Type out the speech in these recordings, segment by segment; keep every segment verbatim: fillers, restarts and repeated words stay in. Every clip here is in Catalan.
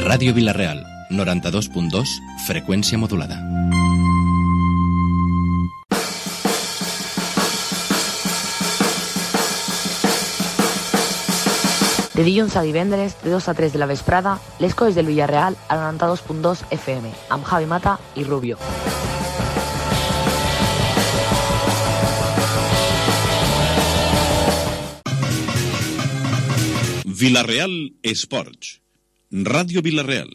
Ràdio Vila-real, noranta-dos punt dos, freqüència modulada. De dilluns a divendres, de dos a tres de la vesprada, les coses del Villarreal a noranta-dos punt dos F M, amb Javi Mata i Rubio. Villarreal Sports. Radio Villarreal.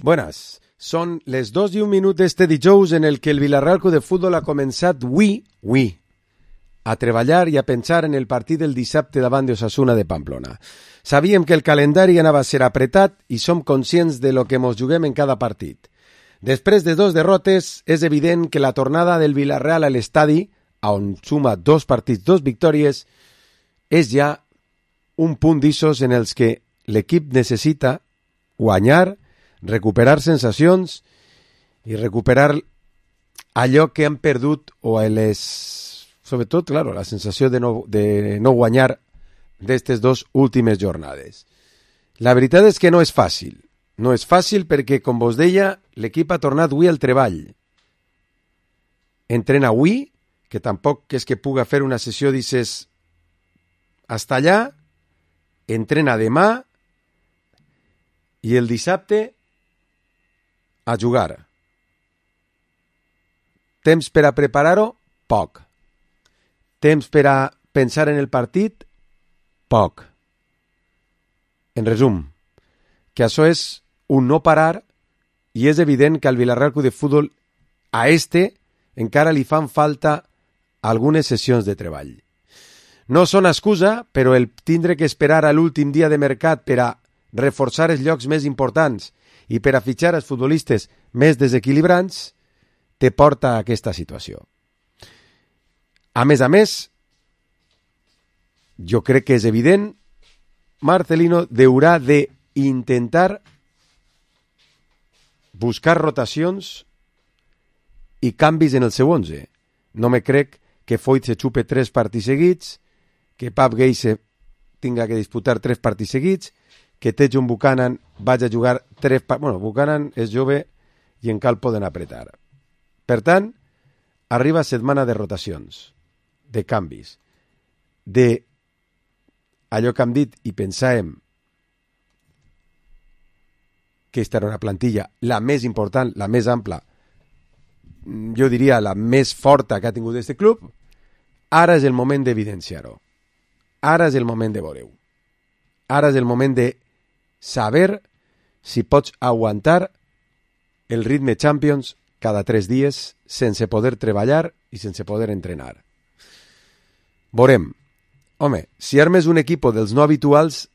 Buenas, son les dos i un minut d'este dijous en el que el Villarreal Club de Futbol ha començat ui, ui, a treballar i a pensar en el partit del dissabte davant d'Osasuna de Pamplona. Sabíem que el calendari anava a ser apretat i som conscients de lo que mos juguem en cada partit. Després de dos derrotes, és evident que la tornada del Villarreal a l'estadi, on suma dos partits, dos victòries, és ja un punt d'issos en els que l'equip necessita guanyar, recuperar sensacions i recuperar allò que han perdut o les... sobretot, claro, la sensació de no, de no guanyar d'aquestes dues últimes jornades. La veritat és que no és fàcil. No és fàcil perquè, com vos deia, l'equip ha tornat avui al treball. Entrena avui, que tampoc és que puga fer una sessió, dices, hasta allà, entrena demà i el dissabte a jugar. Temps per a preparar-ho? Poc. Temps per a pensar en el partit? Poc. En resum, que això és un no parar i és evident que al Villarreal Club de Futbol a este encara li fan falta algunes sessions de treball. No són excusa, però el tindre que esperar a l'últim dia de mercat per a reforçar els llocs més importants i per a fitxar els futbolistes més desequilibrants te porta a aquesta situació. A més a més, jo crec que és evident, Marcelino deurà d'intentar buscar rotacions i canvis en el seu onze. No me crec que Foyt se xupe tres partits seguits, que Pap Geise tinga que disputar tres partits seguits, que Tejon Buchanan vagi a jugar tres partits... Bueno, Buchanan és jove i encara el poden apretar. Per tant, arriba setmana de rotacions, de canvis, de allò que hem dit i pensàvem que esta era una plantilla la més important, la més ampla, jo diria la més forta que ha tingut aquest club. Ara és el moment d'evidenciar-ho. Ara és el moment de veure-ho. Ara és el moment de saber si pots aguantar el ritme Champions cada tres dies sense poder treballar i sense poder entrenar. Veurem. Home, si armes un equip dels no habituals,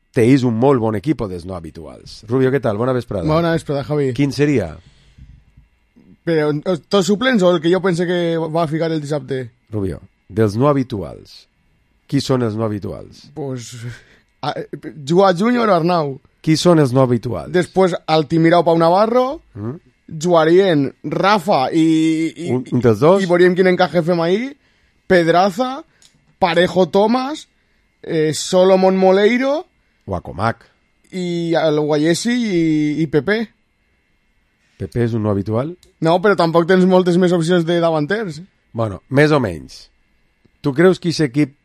te és un molt bon equip dels no habituals. Rubio, què tal? Bona vesprada. Bona vesprada, Javi. Quin seria? Però tots suplents o el que jo pense que va ficar el dissabte? Rubio, dels no habituals. Qui són els no habituals? Pues... Joao Júnior o Arnau. Qui són els no habituals? Després Altimira o Pau Navarro, mm? jugarien Rafa i... i un, un dels dos? I veuríem quin encaje fem ahí. Pedraza, Parejo Tomás, eh, Solomon Moleiro... Guacomac. I el Guayesi i, i Pepe. Pepe és un no habitual? No, però tampoc tens moltes més opcions de davanters. Bueno, més o menys. Tu creus que aquest equip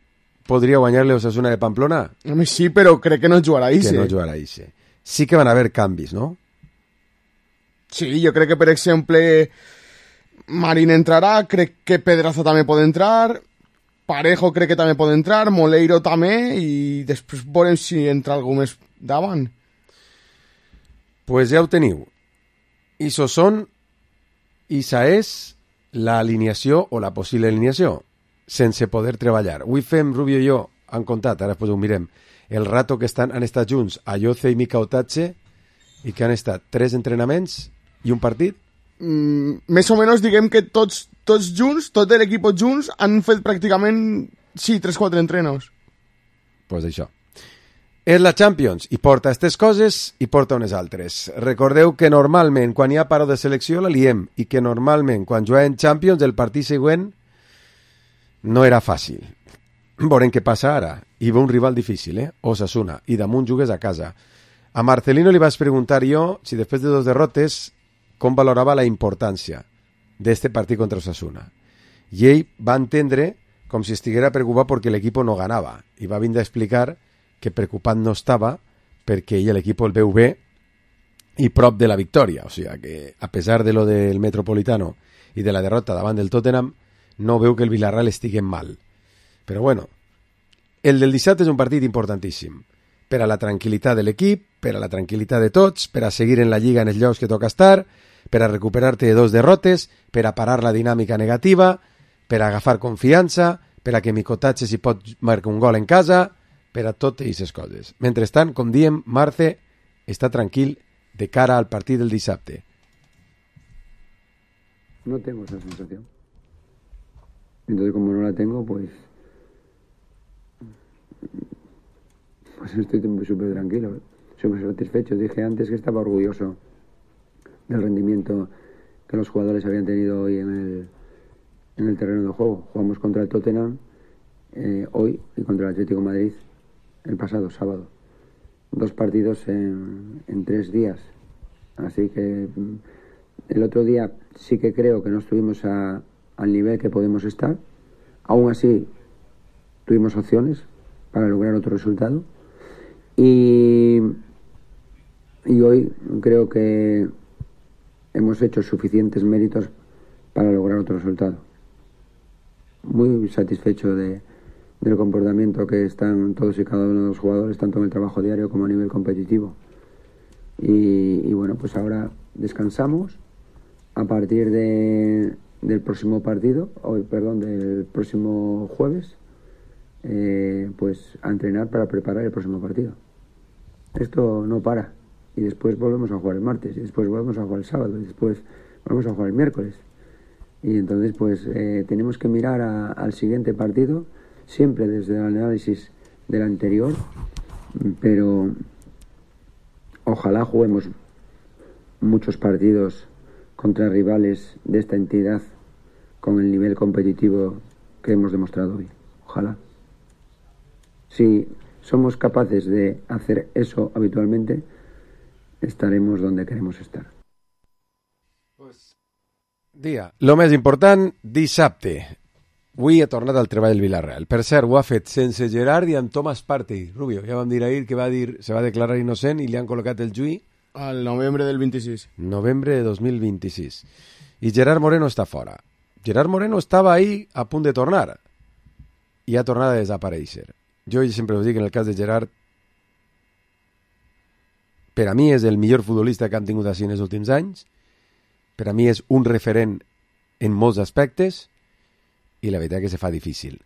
podria guanyar-li a Osasuna de Pamplona? Home, sí, però crec que no jugarà Ise. Que no jugarà Ise. Sí que van haver canvis, no? Sí, jo crec que, per exemple, Marín entrarà, crec que Pedraza també pot entrar, Parejo crec que també pot entrar, Moleiro també, i després veurem si entra algú més davant. Pues ja ho teniu. Iso són, Isa és l'alineació o la possible alineació, sense poder treballar. Avui fem, Rubio i jo, han contat, ara després ho mirem, el rato que estan, han estat junts Ayoce i Mika Otache i que han estat tres entrenaments i un partit? Mm, més o menys diguem que tots, tots junts, tot l'equip junts, han fet pràcticament, sí, tres quatre entrenos. Pues això. És la Champions i porta aquestes coses i porta unes altres. Recordeu que normalment quan hi ha paro de selecció la liem i que normalment quan juguem Champions el partit següent no era fàcil. Veurem què passa ara i ve un rival difícil, eh? Osasuna, i damunt jugues a casa. A Marcelino li vaig preguntar jo si després de dos derrotes com valorava la importància d'este partit contra Osasuna. I ell va entendre com si estiguera preocupat perquè l'equip no ganava i va vindre a explicar que preocupat no estava perquè ell l'equip el veu bé i prop de la victòria. O sigui que a pesar de lo del Metropolitano i de la derrota davant del Tottenham no veu que el Villarreal estigui mal. Però bueno, el del dissabte és un partit importantíssim per a la tranquil·litat de l'equip, per a la tranquil·litat de tots, per a seguir en la Lliga en els llocs que toca estar, per a recuperar-te de dos derrotes, per a parar la dinàmica negativa, per a agafar confiança, per a que Micotatge si pot marcar un gol en casa, per a totes aquestes coses. Mentrestant, com diem, Marce està tranquil de cara al partit del dissabte. No tengo esa sensación. Entonces, como no la tengo, pues pues estoy súper tranquilo, súper satisfecho. Dije antes que estaba orgulloso del rendimiento que los jugadores habían tenido hoy en el, en el terreno de juego. Jugamos contra el Tottenham eh, hoy y contra el Atlético de Madrid el pasado sábado. Dos partidos en, en tres días. Así que el otro día sí que creo que no estuvimos a, al nivel que podemos estar. Aún así tuvimos opciones para lograr otro resultado. Y, y hoy creo que hemos hecho suficientes méritos para lograr otro resultado. Muy satisfecho de, del comportamiento que están todos y cada uno de los jugadores, tanto en el trabajo diario como a nivel competitivo. Y, y bueno, pues ahora descansamos a partir de, del próximo partido, hoy, perdón, del próximo jueves, eh, pues a entrenar para preparar el próximo partido. Esto no para. Y después volvemos a jugar el martes, y después volvemos a jugar el sábado, y después volvemos a jugar el miércoles. Y entonces pues eh, tenemos que mirar a, al siguiente partido, siempre desde el análisis del anterior, pero ojalá juguemos muchos partidos contra rivales de esta entidad con el nivel competitivo que hemos demostrado hoy. Ojalá. Si somos capaces de hacer eso habitualmente, estaremos donde queremos estar. Pues, dia, lo més important, dissabte. Avui ha tornat al treball del Villarreal. Per cert, ho ha fet sense Gerard i amb Thomas Partey. Rubio, ja vam dir ahir que va dir, se va declarar innocent i li han col·locat el juí al novembre del vint-i-sis. Novembre de dos mil vint-i-sis. I Gerard Moreno està fora. Gerard Moreno estava ahí a punt de tornar i ha tornat a desaparèixer. Jo sempre us dic, en el cas de Gerard, per a mi és el millor futbolista que han tingut així en els últims anys, per a mi és un referent en molts aspectes, i la veritat que se fa difícil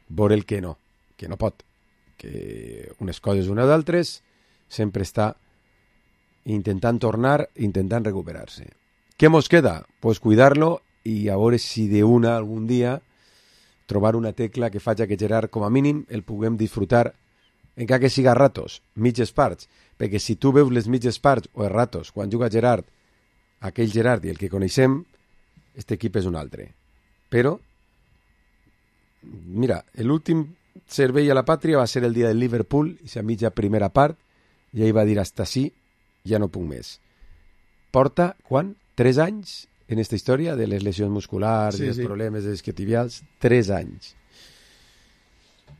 veure el que no, que no pot, que unes coses unes d'altres, sempre està intentant tornar, intentant recuperar-se. Què mos queda? Pues cuidar-lo i a veure si d'una algun dia trobar una tecla que faci que Gerard, com a mínim, el puguem disfrutar, encara que siga a ratos, mitges parts, perquè si tu veus les mitges parts o els ratos, quan juga Gerard, aquell Gerard i el que coneixem, aquest equip és un altre. Però, mira, l'últim servei a la pàtria va ser el dia del Liverpool, i la mitja primera part, i ell va dir, hasta sí, ja no puc més. Porta, quan? Tres anys en aquesta història de les lesions musculars, sí, i els sí. problemes isquiotibials, tres anys.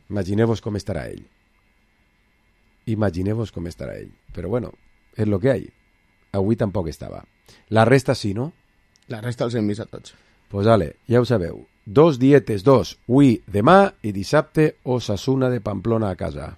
Imagineu-vos com estarà ell. Imagineu-vos com estarà ell. Però bueno, és el que hi ha. Avui tampoc estava. La resta sí, no? La resta els hem vist a tots. Pues vale, ja ho sabeu. Dos dietes, dos. Avui, demà i dissabte, Osasuna de Pamplona a casa.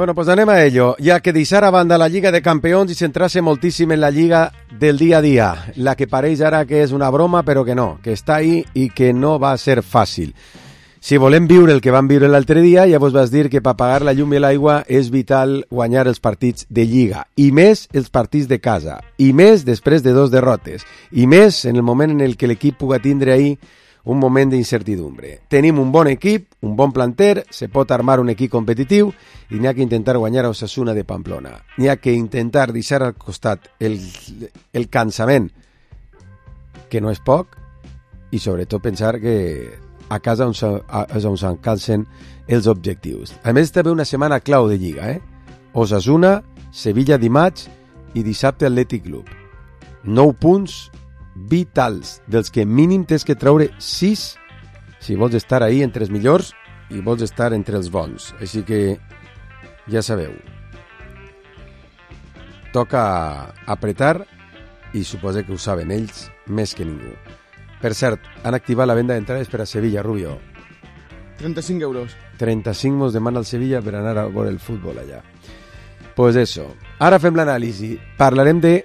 Bueno, pues anem a ello, ja que deixar a banda la Lliga de Campions i centrar-se moltíssim en la Lliga del dia a dia, la que pareix ara que és una broma, però que no, que està ahí i que no va ser fàcil. Si volem viure el que vam viure l'altre dia, ja vos vas dir que per pagar la llum i l'aigua és vital guanyar els partits de Lliga, i més els partits de casa, i més després de dos derrotes, i més en el moment en el que l'equip puga tindre ahí un moment d'incertidumbre. Tenim un bon equip, un bon planter, se pot armar un equip competitiu i n'hi ha que intentar guanyar a Osasuna de Pamplona. N'hi ha que intentar deixar al costat el, el cansament, que no és poc, i sobretot pensar que a casa on, és on s'encalcen els objectius. A més, també una setmana clau de Lliga, eh? Osasuna, Sevilla dimarts i dissabte Atlètic Club. Nou punts vitals, dels que mínim tens que treure sis si vols estar ahí entre els millors i vols estar entre els bons. Així que ja sabeu, toca apretar i suposo que ho saben ells més que ningú. Per cert, han activat la venda d'entrades per a Sevilla, Rubio. trenta-cinc euros. trenta-cinc mos demana el Sevilla per anar a veure el futbol allà. Pues eso. Ara fem l'anàlisi. Parlarem de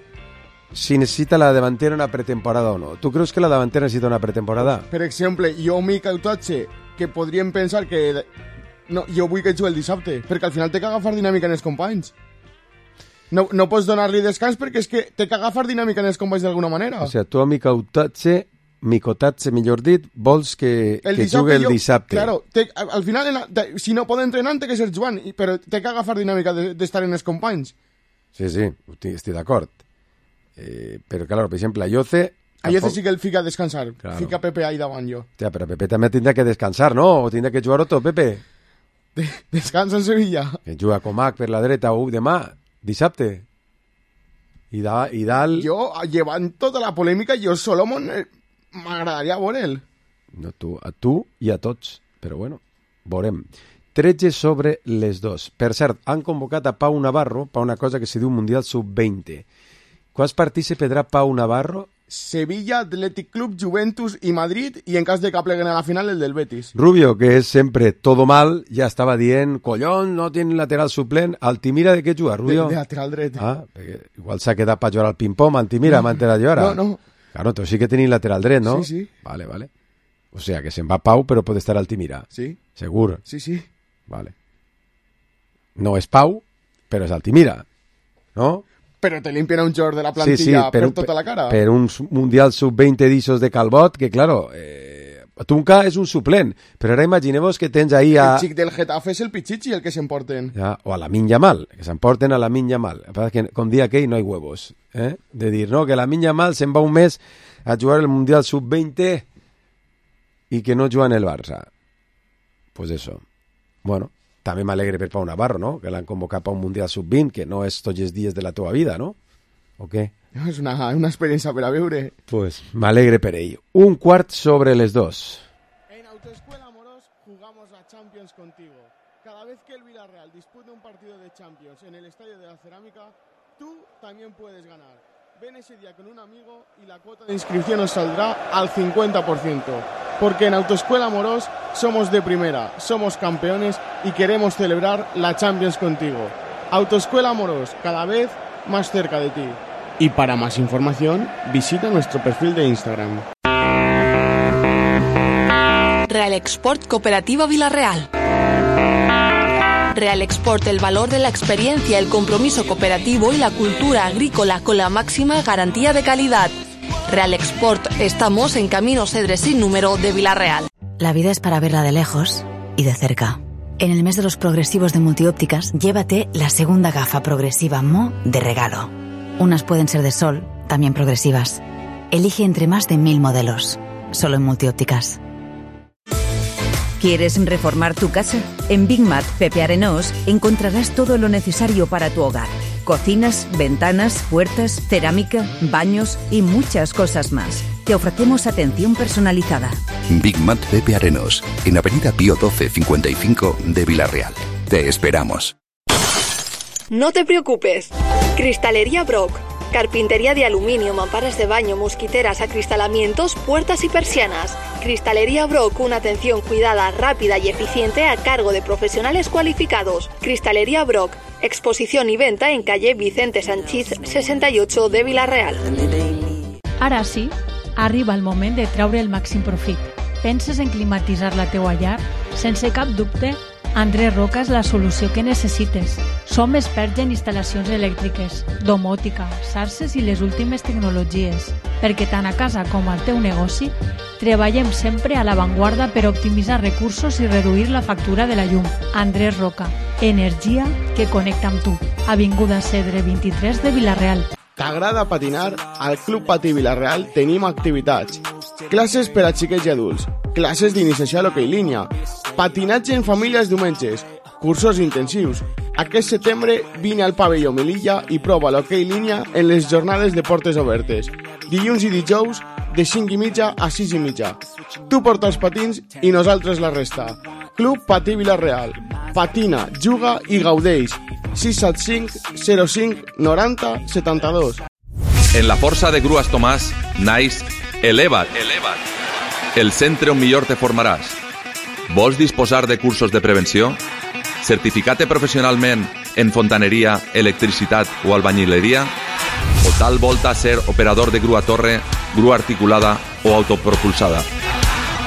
si necessita la davantera una pretemporada o no. Tu creus que la davantera necessita una pretemporada? Per exemple, jo m'hi cautatge que podríem pensar que... No, jo vull que jugui el dissabte, perquè al final té que agafar dinàmica en els companys. No, no pots donar-li descans perquè és que té que agafar dinàmica en els companys d'alguna manera. O sigui, tu a mi cautatge, mi cotatge, millor dit, vols que, el que jugui el dissabte. Jo, claro, té, al final, en, si no pot entrenar, té que ser jugant, però té que agafar dinàmica d'estar de, en els companys. Sí, sí, estic d'acord. Eh, però, clar, per exemple, a Ayoce... A Ayoce sí que el fica a descansar. Claro. Fica Pepe ahí davant jo. Ja, però Pepe també tindrà que descansar, no? O tindrà que jugar otro, Pepe? De, descansa en Sevilla. Que juga Comac per la dreta o demà, dissabte. I, da, i dalt... Jo, llevant tota la polèmica, jo Solomon eh, m'agradaria veure'l. No, tu, a tu i a tots. Però bueno, veurem. tretze sobre les dos. Per cert, han convocat a Pau Navarro per una cosa que se diu Mundial sub veinte. Quants partits se pedrà Pau Navarro? Sevilla, Athletic Club, Juventus i Madrid, i en cas de que pleguen a la final el del Betis. Rubio, que és sempre todo mal, ja estava dient, collons, no tiene lateral suplent. Altimira de què juga, Rubio? De, de lateral dret. Ah, igual s'ha quedat per jugar al ping-pong, Altimira, no, m'entera jo ara. No, no. Claro, tu sí que teniu lateral dret, no? Sí, sí. Vale, vale. O sea, que se'n va Pau, però pot estar Altimira. Sí. Segur? Sí, sí. Vale. No és Pau, però és Altimira, no? Però te limpien un jugador de la plantilla sí, sí, per, per tota la cara. Per un Mundial sub veinte d'Issos de Calbot, que claro, eh, Tunca és un suplent, però ara imagineu-vos que tens ahí a... El xic del Getafe és el Pichichi el que s'emporten. Ja, o a la Min Yamal, que s'emporten a la Min Yamal. El que passa és que, com dia aquell, no hi huevos. Eh? De dir, no, que la Min Yamal se'n va un mes a jugar el Mundial sub veinte i que no juga en el Barça. Pues eso. Bueno, també m'alegre per Pau Navarro, no? Que l'han convocat per un Mundial sub vint, que no és tots els dies de la teva vida, no? O què? No, és una, una experiència per a veure. Pues m'alegre per ell. Un quart sobre les dos. En Autoescuela Moros jugamos la Champions contigo. Cada vez que el Villarreal dispute un partido de Champions en el Estadio de la Cerámica, tú también puedes ganar. Ven ese día con un amigo y la cuota de inscripción os saldrá al cincuenta por ciento. Porque en Autoescuela Moros somos de primera, somos campeones y queremos celebrar la Champions contigo. Autoescuela Moros, cada vez más cerca de ti. Y para más información, visita nuestro perfil de Instagram. Real Export Cooperativa Villarreal. Real Export, el valor de la experiencia, el compromiso cooperativo y la cultura agrícola con la máxima garantía de calidad. Real Export, estamos en Camino Cedres sin número de Villarreal. La vida es para verla de lejos y de cerca. En el mes de los progresivos de Multiópticas, llévate la segunda gafa progresiva M O de regalo. Unas pueden ser de sol, también progresivas. Elige entre más de mil modelos, solo en Multiópticas. ¿Quieres reformar tu casa? En Big Mat Pepe Arenós encontrarás todo lo necesario para tu hogar. Cocinas, ventanas, puertas, cerámica, baños y muchas cosas más. Te ofrecemos atención personalizada. Big Mat Pepe Arenós, en Avenida Pío doce cincuenta y cinco de Villarreal. Te esperamos. No te preocupes. Cristalería Brock. Carpintería de aluminio, mamparas de baño, mosquiteras, acristalamientos, puertas y persianas. Cristalería Brock, una atención cuidada, rápida y eficiente a cargo de profesionales cualificados. Cristalería Brock, exposición y venta en calle Vicente Sanchís seixanta i ocho de Vila-real. Ara sí, arriba el moment de treure el màxim profit. Penses en climatitzar la teua llar? Sense cap dubte, Andrés Roca és la solució que necessites. Som experts en instal·lacions elèctriques, domòtica, xarxes i les últimes tecnologies, perquè tant a casa com al teu negoci treballem sempre a l'avantguarda per optimitzar recursos i reduir la factura de la llum. Andrés Roca, energia que connecta amb tu. Avinguda Cedre vint-i-tres de Vila-real. T'agrada patinar? Al Club Patí Vila-real tenim activitats. Classes per a xiquets i adults, classes d'iniciació a l'hoquei línia, patinatge en famílies diumenges, cursos intensius. Aquest setembre vine al pavelló Melilla i prova l'hoquei línia en les jornades de portes obertes. Dilluns i dijous de cinc i mitja a sis i mitja. Tu porta els patins i nosaltres la resta. Club Patí Vila-real. Patina, juga i gaudeix. sis set cinc zero cinc noranta setanta-dos. En la força de Grues Tomàs naix Eleva't, Eleva't, el centre on millor te formaràs. Vols disposar de cursos de prevenció? Certificat-te professionalment en fontaneria, electricitat o albañileria? O tal volta ser operador de grua torre, grua articulada o autopropulsada?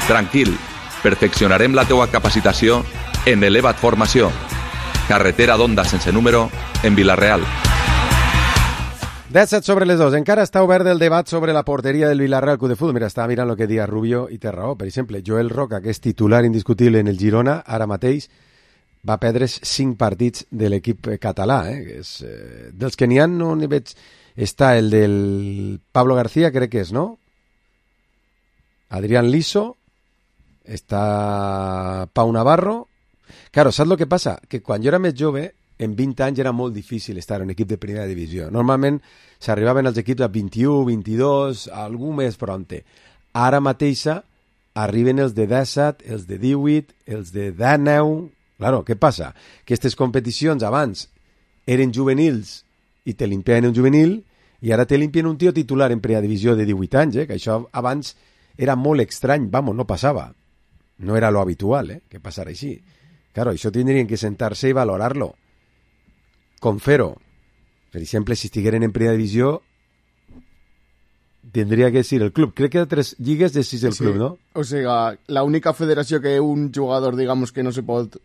Tranquil, perfeccionarem la teua capacitació en Eleva't Formació. Carretera d'Onda sense número, en Vila-real. disset sobre les dos. Encara està obert el debat sobre la porteria del Vila-real Club de Futbol. Mira, estava mirant el que dia Rubio i té raó. Per exemple, Joel Roca, que és titular indiscutible en el Girona, ara mateix va perdre cinc partits de l'equip català. Eh? Que és, eh, dels que n'hi ha, no n'hi veig... Està el del Pablo García, crec que és, no? Adrián Liso, està Pau Navarro. Claro, saps el que passa? Que quan jo era més jove, en vint anys era molt difícil estar en un equip de primera divisió. Normalment s'arribaven els equips a vint-i-u, vint-i-dos, algú més prompte. Ara mateixa arriben els de disset, els de divuit, els de dinou... Claro, què passa? Que aquestes competicions abans eren juvenils i te limpien un juvenil i ara te limpien un tio titular en primera divisió de divuit anys, eh? Que això abans era molt estrany, vamos, no passava. No era lo habitual, eh? Que passara així. Claro, això tindrien que sentar-se i valorar-lo. Com fer-ho? Per exemple, si estigueren en primera divisió, tindria que ser el club. Crec que de tres lligues de sis el sí. club, ¿no? O sea, la única federació que un jugador, digamos, que no se pot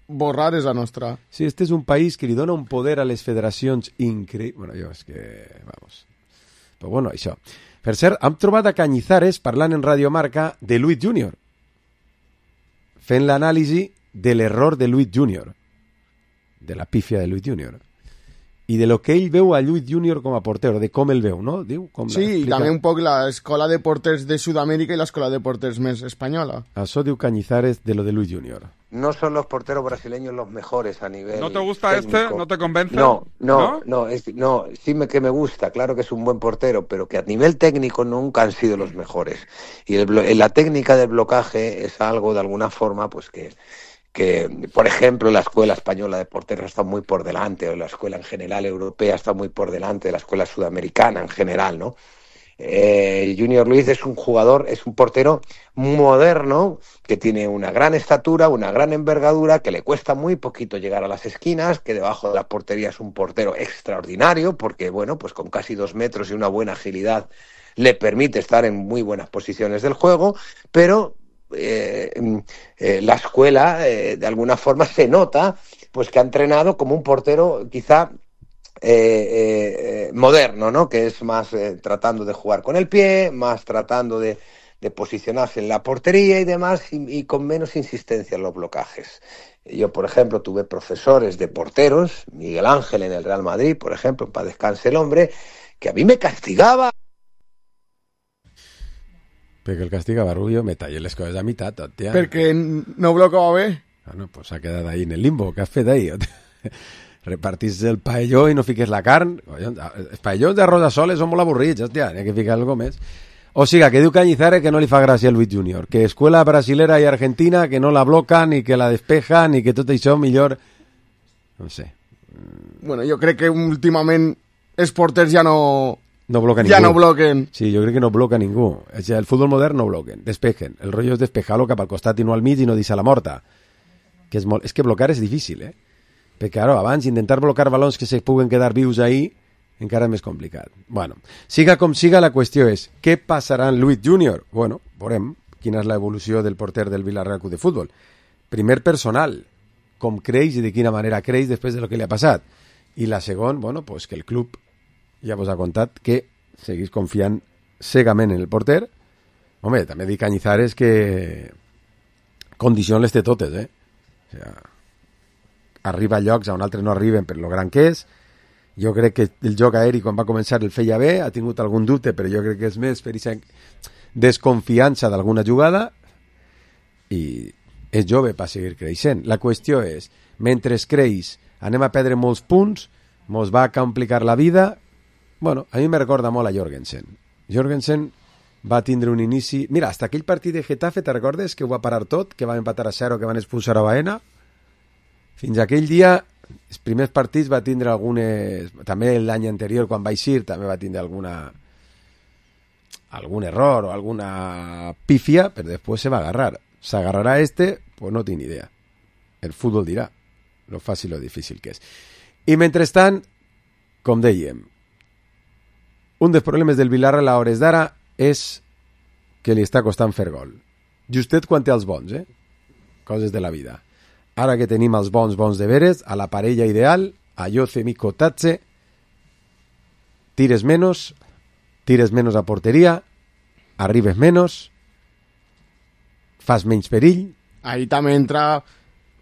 borrar és la nostra. Sí, este és un país que li dona un poder a les federacions increïble. Bueno, jo és que... Vamos. Però bueno, això. Per cert, hem trobat a Cañizares parlant en Radio Marca de Luis Junior. Fent l'anàlisi de l'error de Luis Junior. De la pífia de Luis Junior. I de lo que ell veu a Luis Junior com a portero, de com el veu, no? Diu, com sí, i també un poc l'escola de porters de Sudamèrica i l'escola de porters més espanyola. Això diu Cañizares de lo de Luis Junior. No son los porteros brasileños los mejores a nivel ¿No te gusta técnico. este? ¿No te convence? No, no, no, no, es, no sí me, que me gusta, claro que es un buen portero, pero que a nivel técnico nunca han sido los mejores. Y el, la técnica del blocaje es algo, de alguna forma, pues que... que, por ejemplo, la escuela española de porteros está muy por delante, o la escuela en general europea está muy por delante de la escuela sudamericana en general, ¿no? Eh, Junior Luis es un jugador, es un portero moderno, que tiene una gran estatura, una gran envergadura, que le cuesta muy poquito llegar a las esquinas, que debajo de la portería es un portero extraordinario, porque, bueno, pues con casi dos metros y una buena agilidad le permite estar en muy buenas posiciones del juego, pero... Eh, eh, la escuela eh, de alguna forma se nota pues que ha entrenado como un portero quizá eh, eh, moderno, ¿no? Que es más eh, tratando de jugar con el pie, más tratando de, de posicionarse en la portería y demás, y, y con menos insistencia en los blocajes. Yo, por ejemplo, tuve profesores de porteros, Miguel Ángel en el Real Madrid, por ejemplo, para descanse el hombre, que a mí me castigaba. Perquè el castigava Rubio, me tallé les coses a meitat, tot, tia. Perquè no blocava bé. Ah, no, pues s'ha quedat ahí en el limbo. Què has fet ahí? Repartís el paelló i no fiques la carn. Els paellons d'arròs a soles són molt avorrits, hòstia, n'hi ha que ficar alguna més. O sigui, que diu Cañizares que no li fa gràcia a Luis Junior, que escuela brasilera i argentina que no la blocan i que la despejan i que tot això millor... No sé. Bueno, jo crec que últimament els porters ja no... No bloca ja ningú. no bloquen. Sí, jo crec que no bloca ningú. O sigui, el futbol modern no bloquen, despejen. El rotllo és despejar-lo cap al costat i no al mig i no deixar la morta. Que és, molt... és que blocar és difícil, eh? Perquè, claro, abans intentar blocar balons que se puguen quedar vius ahí encara és més complicat. Bueno, siga com siga, la qüestió és què passarà amb Luis júnior? Bueno, veurem quina és l'evolució del porter del Villarreal Club de Futbol. Primer, personal, com creix i de quina manera creix després de lo que li ha passat. I la segon, bueno, pues que el club ja vos ha contat que seguís confiant cegament en el porter. Home, també dic Cañizares que condicions les té totes, eh? O sigui, arriba a llocs on altres no arriben per lo gran que és. Jo crec que el joc aeri quan va començar el feia bé, ha tingut algun dubte, però jo crec que és més per aquesta desconfiança d'alguna jugada i és jove per seguir creixent. La qüestió és, mentre creix, anem a perdre molts punts, mos va complicar la vida. Bueno, a mi me recorda molt a Jorgensen. Jorgensen va tindre un inici... Mira, hasta aquell partit de Getafe, te recordes que ho va parar tot, que van empatar a zero, que van expulsar a Baena? Fins aquell dia, els primers partits va tindre algunes... També l'any anterior, quan va eixir, també va tindre alguna... algun error o alguna pifia, però després se va agarrar. ¿S'agarrarà este? Pues no tinc idea. El futbol dirà lo fàcil o difícil que és. I mentrestant, com dèiem, un dels problemes del Villarreal a hores d'ara és que li està costant fer gol. Justet quan té els bons, eh? Coses de la vida. Ara que tenim els bons bons de veres, a la parella ideal, Ayoce, Mikotatse, tires menos, tires menos a porteria, arribes menos, fas menys perill. Ahí també entra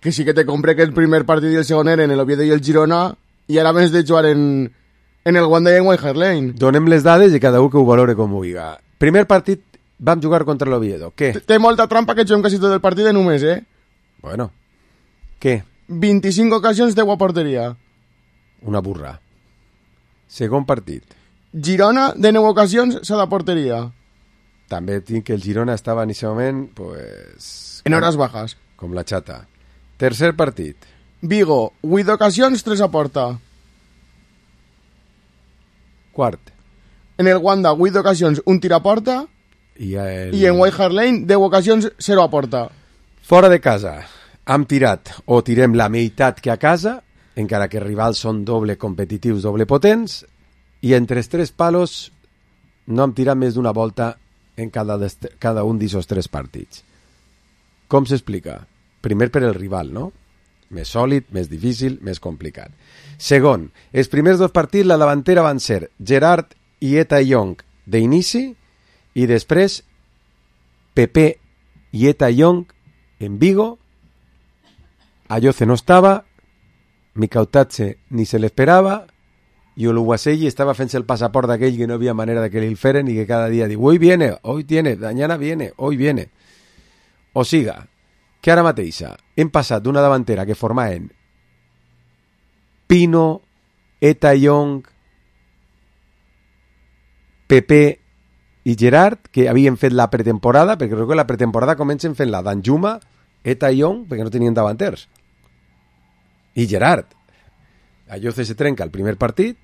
que sí que te compré que el primer partit i el segon eren el Oviedo i el Girona i ara més de jugar en, en el Wanda i en White Hart Lane. Donem les dades i cada un que ho valore com ho vulgui. Primer partit vam jugar contra l'Oviedo. Què? Té molta trampa que juguem quasi tot el partit de només, eh? Bueno. Què? vint-i-cinc ocasions de a porteria. Una burra. Segon partit. Girona, de nou ocasions, s'ha de porteria. També tinc que el Girona estava en aquest moment, pues... En hores bajas. Com la xata. Tercer partit. Vigo, vuit ocasions, tres a porta. Quart. En el Wanda, vuit ocasions, un tir a porta. I, el... I en White Hart Lane, deu ocasions, zero a porta. Fora de casa. Hem tirat, o tirem la meitat que a casa, encara que rivals són doble competitius, doble potents, i entre els tres palos no hem tirat més d'una volta en cada, cada un d'aquests tres partits. Com s'explica? Primer per el rival, no? Més sòlid, més difícil, més complicat. Segon, els primers dos partits la davantera van ser Gerard i Eta Young d'inici i després Pepe i Eta Young en Vigo. Ayoce no estava, Mikautadze ni se l'esperava i Oluwaseyi estava fent-se el passaport d'aquell que no havia manera de que li el feren i que cada dia diu, hoy viene, hoy tiene, mañana viene, hoy viene. O siga, que ara mateixa hem passat d'una davantera que formaven Pino, Eta Young, Pepe i Gerard, que havien fet la pretemporada, perquè crec que la pretemporada comencen fent la Danjuma, Eta Young, perquè no tenien davanters. I Gerard. Ayoce se trenca el primer partit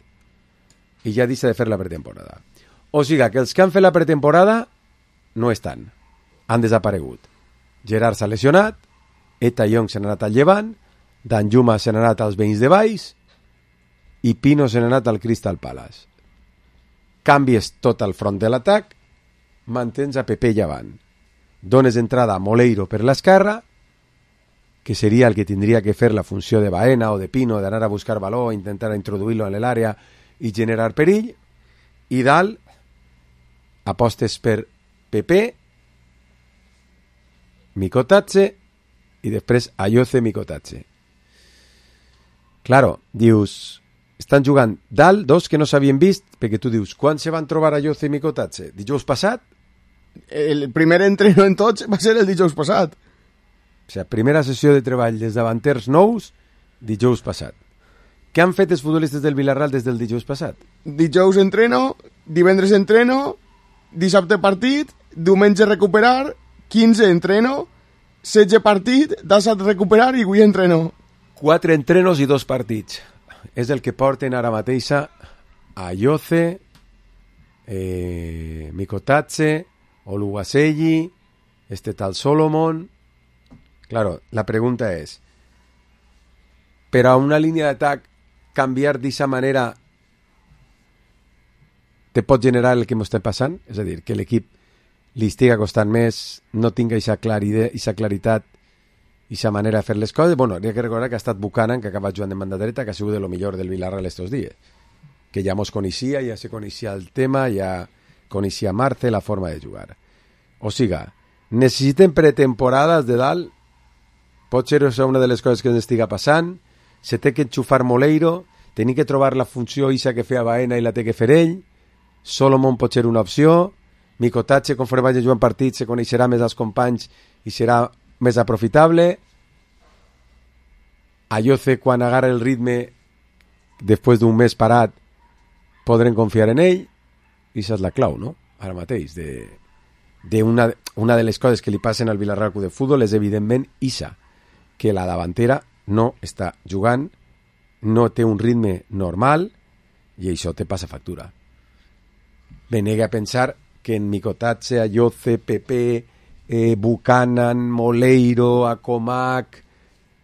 i ja deixa de fer la pretemporada. O sigui que els que han fet la pretemporada no estan. Han desaparegut. Gerard s'ha lesionat, Eta Young se n'ha anat al Llevant, Danjuma se n'ha anat als veïns de Valls i Pino se n'ha anat al Crystal Palace. Canvies tot el front de l'atac, mantens a Pepe Llevant. Dones entrada a Moleiro per l'esquerra, que seria el que tindria que fer la funció de Baena o de Pino, d'anar a buscar valor, intentar introduir-lo en l'àrea i generar perill, i dalt apostes per Pepe, Mikotatze i després Ayoce, Mikotatze. Claro, dius, estan jugant dalt dos que no s'havien vist, perquè tu dius, quan se van trobar Ayoce i Mikotatze? Dijous passat? El primer entreno en tots va ser el dijous passat. O sigui, primera sessió de treball dels davanters nous, dijous passat. Què han fet els futbolistes del Villarreal des del dijous passat? Dijous entreno, divendres entreno, dissabte partit, diumenge recuperar, quinze entreno, setze partit, dissat recuperar i avui entreno. Quatre entrenos i dos partits. És el que porten ara mateixa Ayoce, eh, Mikotatse, Oluwaseyi, este tal Solomon. Claro, la pregunta es, ¿pero a una línea de ataque canviar d'esa manera te pot generar el que m'ho estem passant? És a dir, que l'equip li estiga costant més, no tinga aquesta claritat, aquesta manera de fer les coses. Bueno, hi ha que recordar que ha estat Buchanan, que ha acabat jugant de banda dreta, que ha sigut de lo millor del Villarreal estos dies. Que ja mos coneixia, ja se coneixia el tema, ja coneixia Marce, la forma de jugar. O siga, necessiten pretemporades de dalt, pot ser això una de les coses que ens estiga passant, se té que enxufar Moleiro, tenir que trobar la funció isa que feia Baena i la té que fer ell, Solomon pot ser una opció, Mikotatse, conforme vagi jugant partits, se coneixerà més als companys i serà més aprofitable. Ayoce, quan agarra el ritme, després d'un mes parat, podrem confiar en ell, i això és la clau, no? Ara mateix, de, de una, una de les coses que li passen al Villarreal Club de Futbol és evidentment isa, que la davantera no està jugant, no té un ritme normal, i això te passa factura. Me nega a pensar que en Mikotatse, Ayoce, Pepe, eh, Buchanan, Moleiro, Acomac,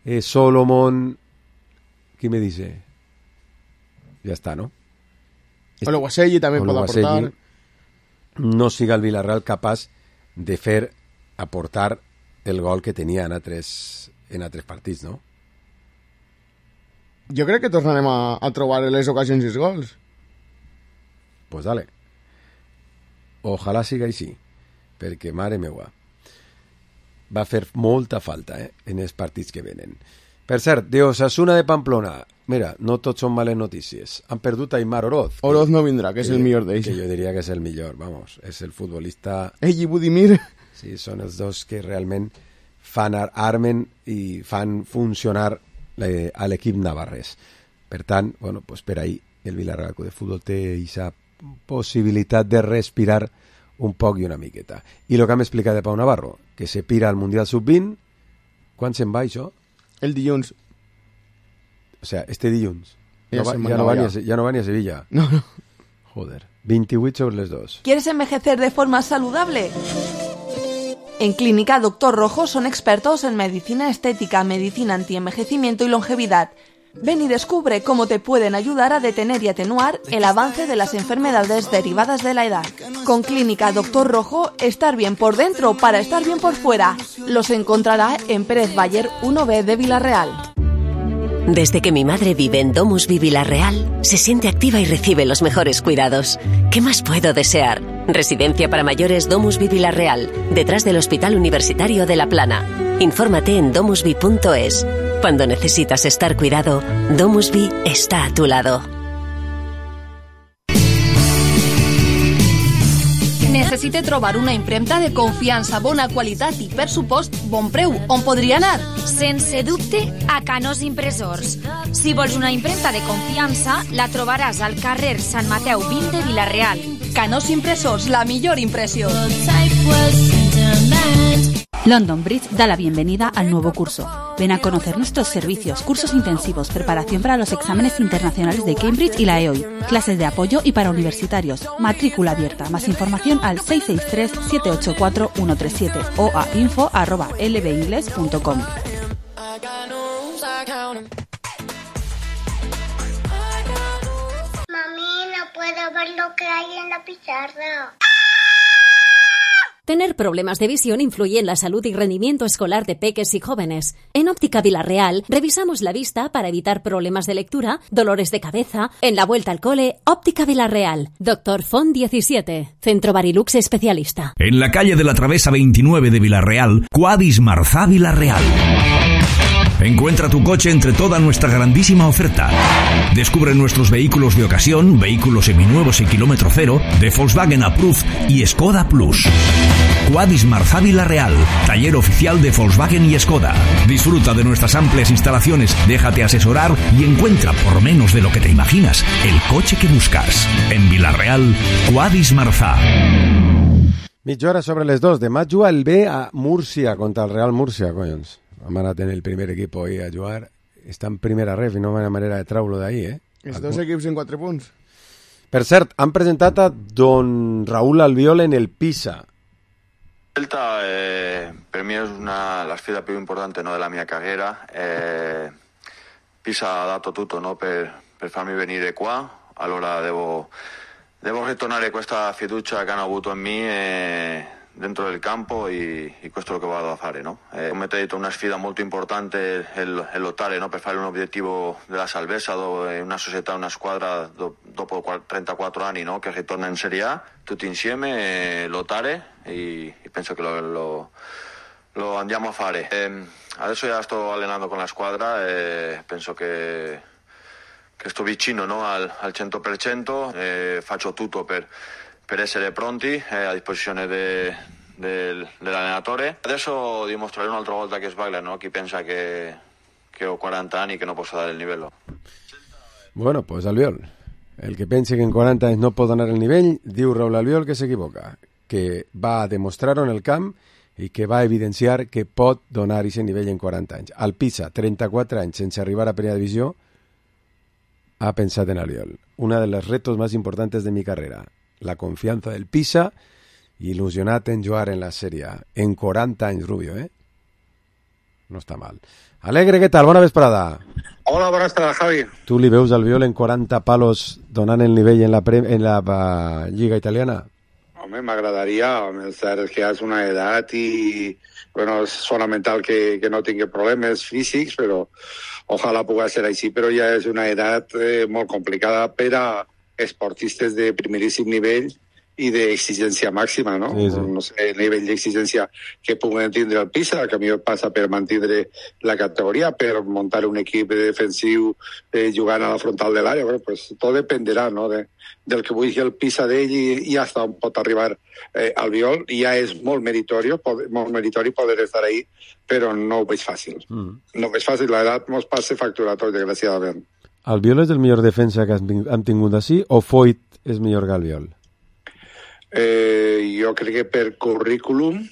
eh, Solomon... ¿Qué me dice? Ya está, ¿no? Oluwaseyi també pot aportar. No siga el Villarreal capaç de fer aportar el gol que tenia en altres, en altres partits, no? Jo crec que tornarem a, a trobar les ocasions i els gols. Pues dale. Ojalà siga així, perquè, mare meua, va fer molta falta eh, en els partits que venen. Per cert, de Osasuna de Pamplona, mira, no tots són males notícies. Han perdut a Aimar Oroz. Oroz no vindrà, que és el millor d'ells. Que jo diria que és el millor, vamos, és el futbolista... Ell i Budimir. Sí, són els dos que realment fan armen i fan funcionar eh, a l'equip navarrès. Per tant, bueno, pues per ahí el Villarreal de Futbol té aquesta possibilitat de respirar un poc i una miqueta. I el que hem explicat de Pau Navarro, que se pira al Mundial sub vint, quan se'n va això? El dilluns. O sea, este dilluns. Ja, no va, no ja, no va ja. Ni a, ja no va ni a Sevilla. No, no. Joder. veintivuit sobre les dos. ¿Quieres envejecer de forma saludable? En Clínica Doctor Rojo son expertos en medicina estética, medicina antienvejecimiento y longevidad. Ven y descubre cómo te pueden ayudar a detener y atenuar el avance de las enfermedades derivadas de la edad. Con Clínica Doctor Rojo, estar bien por dentro para estar bien por fuera. Los encontrará en Pérez Bayer uno B de Villarreal. Desde que mi madre vive en Domusvi Villarreal, se siente activa y recibe los mejores cuidados. ¿Qué más puedo desear? Residencia para mayores Domusvi Villarreal, detrás del Hospital Universitario de La Plana. Infórmate en domusvi punto es. Cuando necesitas estar cuidado, Domusvi está a tu lado. Necessite trobar una impremta de confiança, bona qualitat i, per supost, bon preu. On podria anar? Sense dubte, a Canós Impressors. Si vols una impremta de confiança, la trobaràs al carrer Sant Mateu vint de Villarreal. Canós Impressors, la millor impressió. London Bridge da la bienvenida al nuevo curso. Ven a conocer nuestros servicios, cursos intensivos, preparación para los exámenes internacionales de Cambridge y la E O I, clases de apoyo y para universitarios, matrícula abierta. Más información al seis seis tres, siete ocho cuatro, uno tres siete o a info arroba l b ingles punto com. Mami, no puedo ver lo que hay en la pizarra. Tener problemas de visión influye en la salud y rendimiento escolar de peques y jóvenes. En Óptica Villarreal revisamos la vista para evitar problemas de lectura, dolores de cabeza. En la vuelta al cole, Óptica Villarreal. Doctor Font diecisiete, Centro Barilux especialista. En la calle de la Travesa veintinueve de Villarreal, Quadis Marzá Villarreal. Encuentra tu coche entre toda nuestra grandísima oferta. Descubre nuestros vehículos de ocasión, vehículos seminuevos y kilómetro cero, de Volkswagen Approved y Skoda Plus. Quadis Marzá Villarreal, taller oficial de Volkswagen y Skoda. Disfruta de nuestras amplias instalaciones, déjate asesorar y encuentra, por menos de lo que te imaginas, el coche que buscas. En Villarreal, Quadis Marzá. Mitja hora sobre les dos. Demà juga el B a Múrcia contra el Real Múrcia, collons. Vam anar a tenir el primer equip ahí a jugar. Està en primera ref i no hi ha manera de treure-lo d'ahí, eh? Els dos equips en quatre punts. Per cert, han presentat a don Raúl Albiol en el Pisa. Vuelta eh, per mi és una la sfida più importante, no, della mia carriera. Eh, Pisa ha dato tutto, no, per, per farmi venire qua, allora devo, devo ritornare questa fiducia che hanno avuto in me eh, dentro del campo e, e questo è lo che vado a fare, no? Eh, come ti ho detto, una sfida molto importante è lottare, no, per fare un obiettivo della salvezza dove una società, una squadra do, dopo trentaquattro anni, no, che ritorna in Serie A, tutti insieme eh, lottare e, e penso che lo, lo, lo andiamo a fare. Eh, adesso ya sto allenando con la squadra e penso che, che sto vicino, no, al, al cento per cento, eh, faccio tutto per per essere pronti eh, a disposizione de, de, dell'allenatore. Adesso dimostrerò un'altra volta che sbaglia, no? Chi pensa che, che ho quaranta anni e che no posso dar el livello. Bueno, pues Albiol, el que pense que en quaranta anys no pot donar el nivell, diu Raúl Albiol que s'equivoca, que va a demostrar-ho en el camp i que va a evidenciar que pot donar aquest nivell en quaranta anys. Al Pisa, trenta-quatre anys sense arribar a primera divisió, ha pensat en Albiol. Una de los retos más importantes de mi carrera. La confianza del Pisa i il·lusionat en jugar en la Serie A. En quaranta anys, Rubio, eh? No està mal. Alegre, què tal? Bona vesprada. Hola, bona vesprada, Javi. Tu li veus al Albiol en quaranta palos donant el nivell en la, pre en la uh, Lliga Italiana? Home, m'agradaria. El cert és que ja és una edat i bueno, és fonamental que, que no tingui problemes físics, però ojalà pugui ser així, però ja és una edat eh, molt complicada per a esportistes de primeríssim nivell i d'exigència màxima, no? Sí, sí. No sé, el nivell d'exigència que puguen tindre el Pisa, que a mi passa per mantenir la categoria, per muntar un equip defensiu eh, jugant a la frontal de l'àrea, bueno, pues tot dependerà, no?, de, del que vulgui el Pisa d'ell i, i hasta on pot arribar eh, Albiol. I ja és molt meritori, molt meritori poder estar ahí, però no ho veig fàcil. Mm. No ho veig fàcil, l'edat mos passa factura a tots, desgraciadament. Albiol és el millor defensa que han tingut així o Foyt és millor que Albiol? Eh, jo crec que per currículum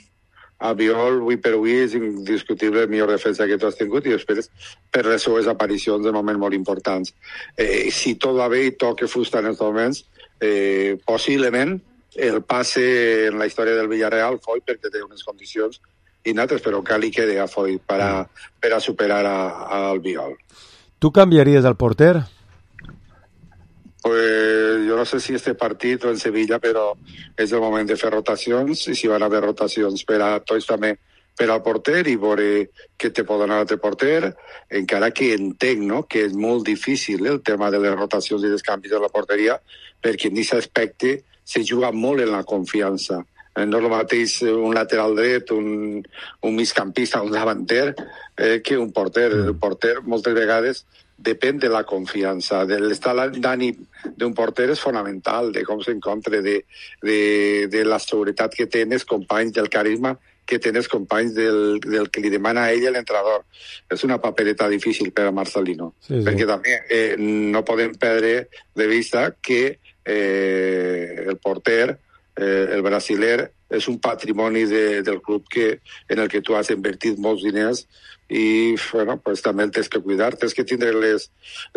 Albiol avui per avui és indiscutible el millor defensa que tu has tingut i després per les seues aparicions de moments molt importants. Eh, si tot va bé i toca fusta en els moments, eh, possiblement el passe en la història del Villarreal Foyt perquè té unes condicions innates, però cal li quede a Foyt per a, per a superar a, a Albiol. ¿Tú cambiarías al porter? Pues yo no sé si este partit o en Sevilla, però és el moment de fer rotacions i si van haver rotacions per a tots també per al porter i veure què te pot donar l'altre porter, encara que entenc, no?, que és molt difícil el tema de les rotacions i dels canvis de la porteria perquè en aquest aspecte se juga molt en la confiança. No és el mateix un lateral dret, un, un migcampista, un davanter, eh, que un porter. El porter moltes vegades depèn de la confiança. De l'estat d'ànim d'un porter és fonamental, de com s'encontra, de, de, de la seguretat que tens, companys, del carisma que tens, companys del, del que li demana a ell l'entrenador. És una papereta difícil per a Marcelino, sí, sí. Perquè també eh, no podem perdre de vista que eh, el porter, Eh, el brasiler és un patrimoni de, del club que, en el que tu has invertit molts diners i bueno, pues, també el tens que cuidar, tens que tindre les...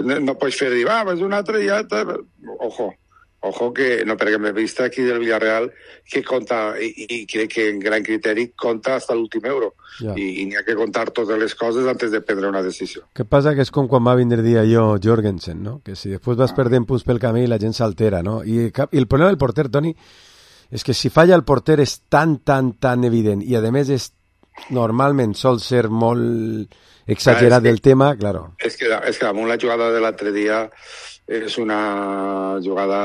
No, no pots fer dir, ah, és un altre ja... Ojo, ojo que no, perquè m'he vist aquí del Villarreal que compta, i, i crec que en gran criteri compta hasta l'últim euro. Ja. I, i n'hi ha que contar totes les coses antes de prendre una decisió. Què passa que és com quan va vindre dia jo Jorgensen, no? Que si després vas ah. perdent punts pel camí la gent s'altera, no? I, i el problema del porter, Toni, és que si falla el porter és tan, tan, tan evident i a més és normalment sol ser molt exagerat ah, del que, tema, claro. És que, és que damunt la jugada de l'altre dia és una jugada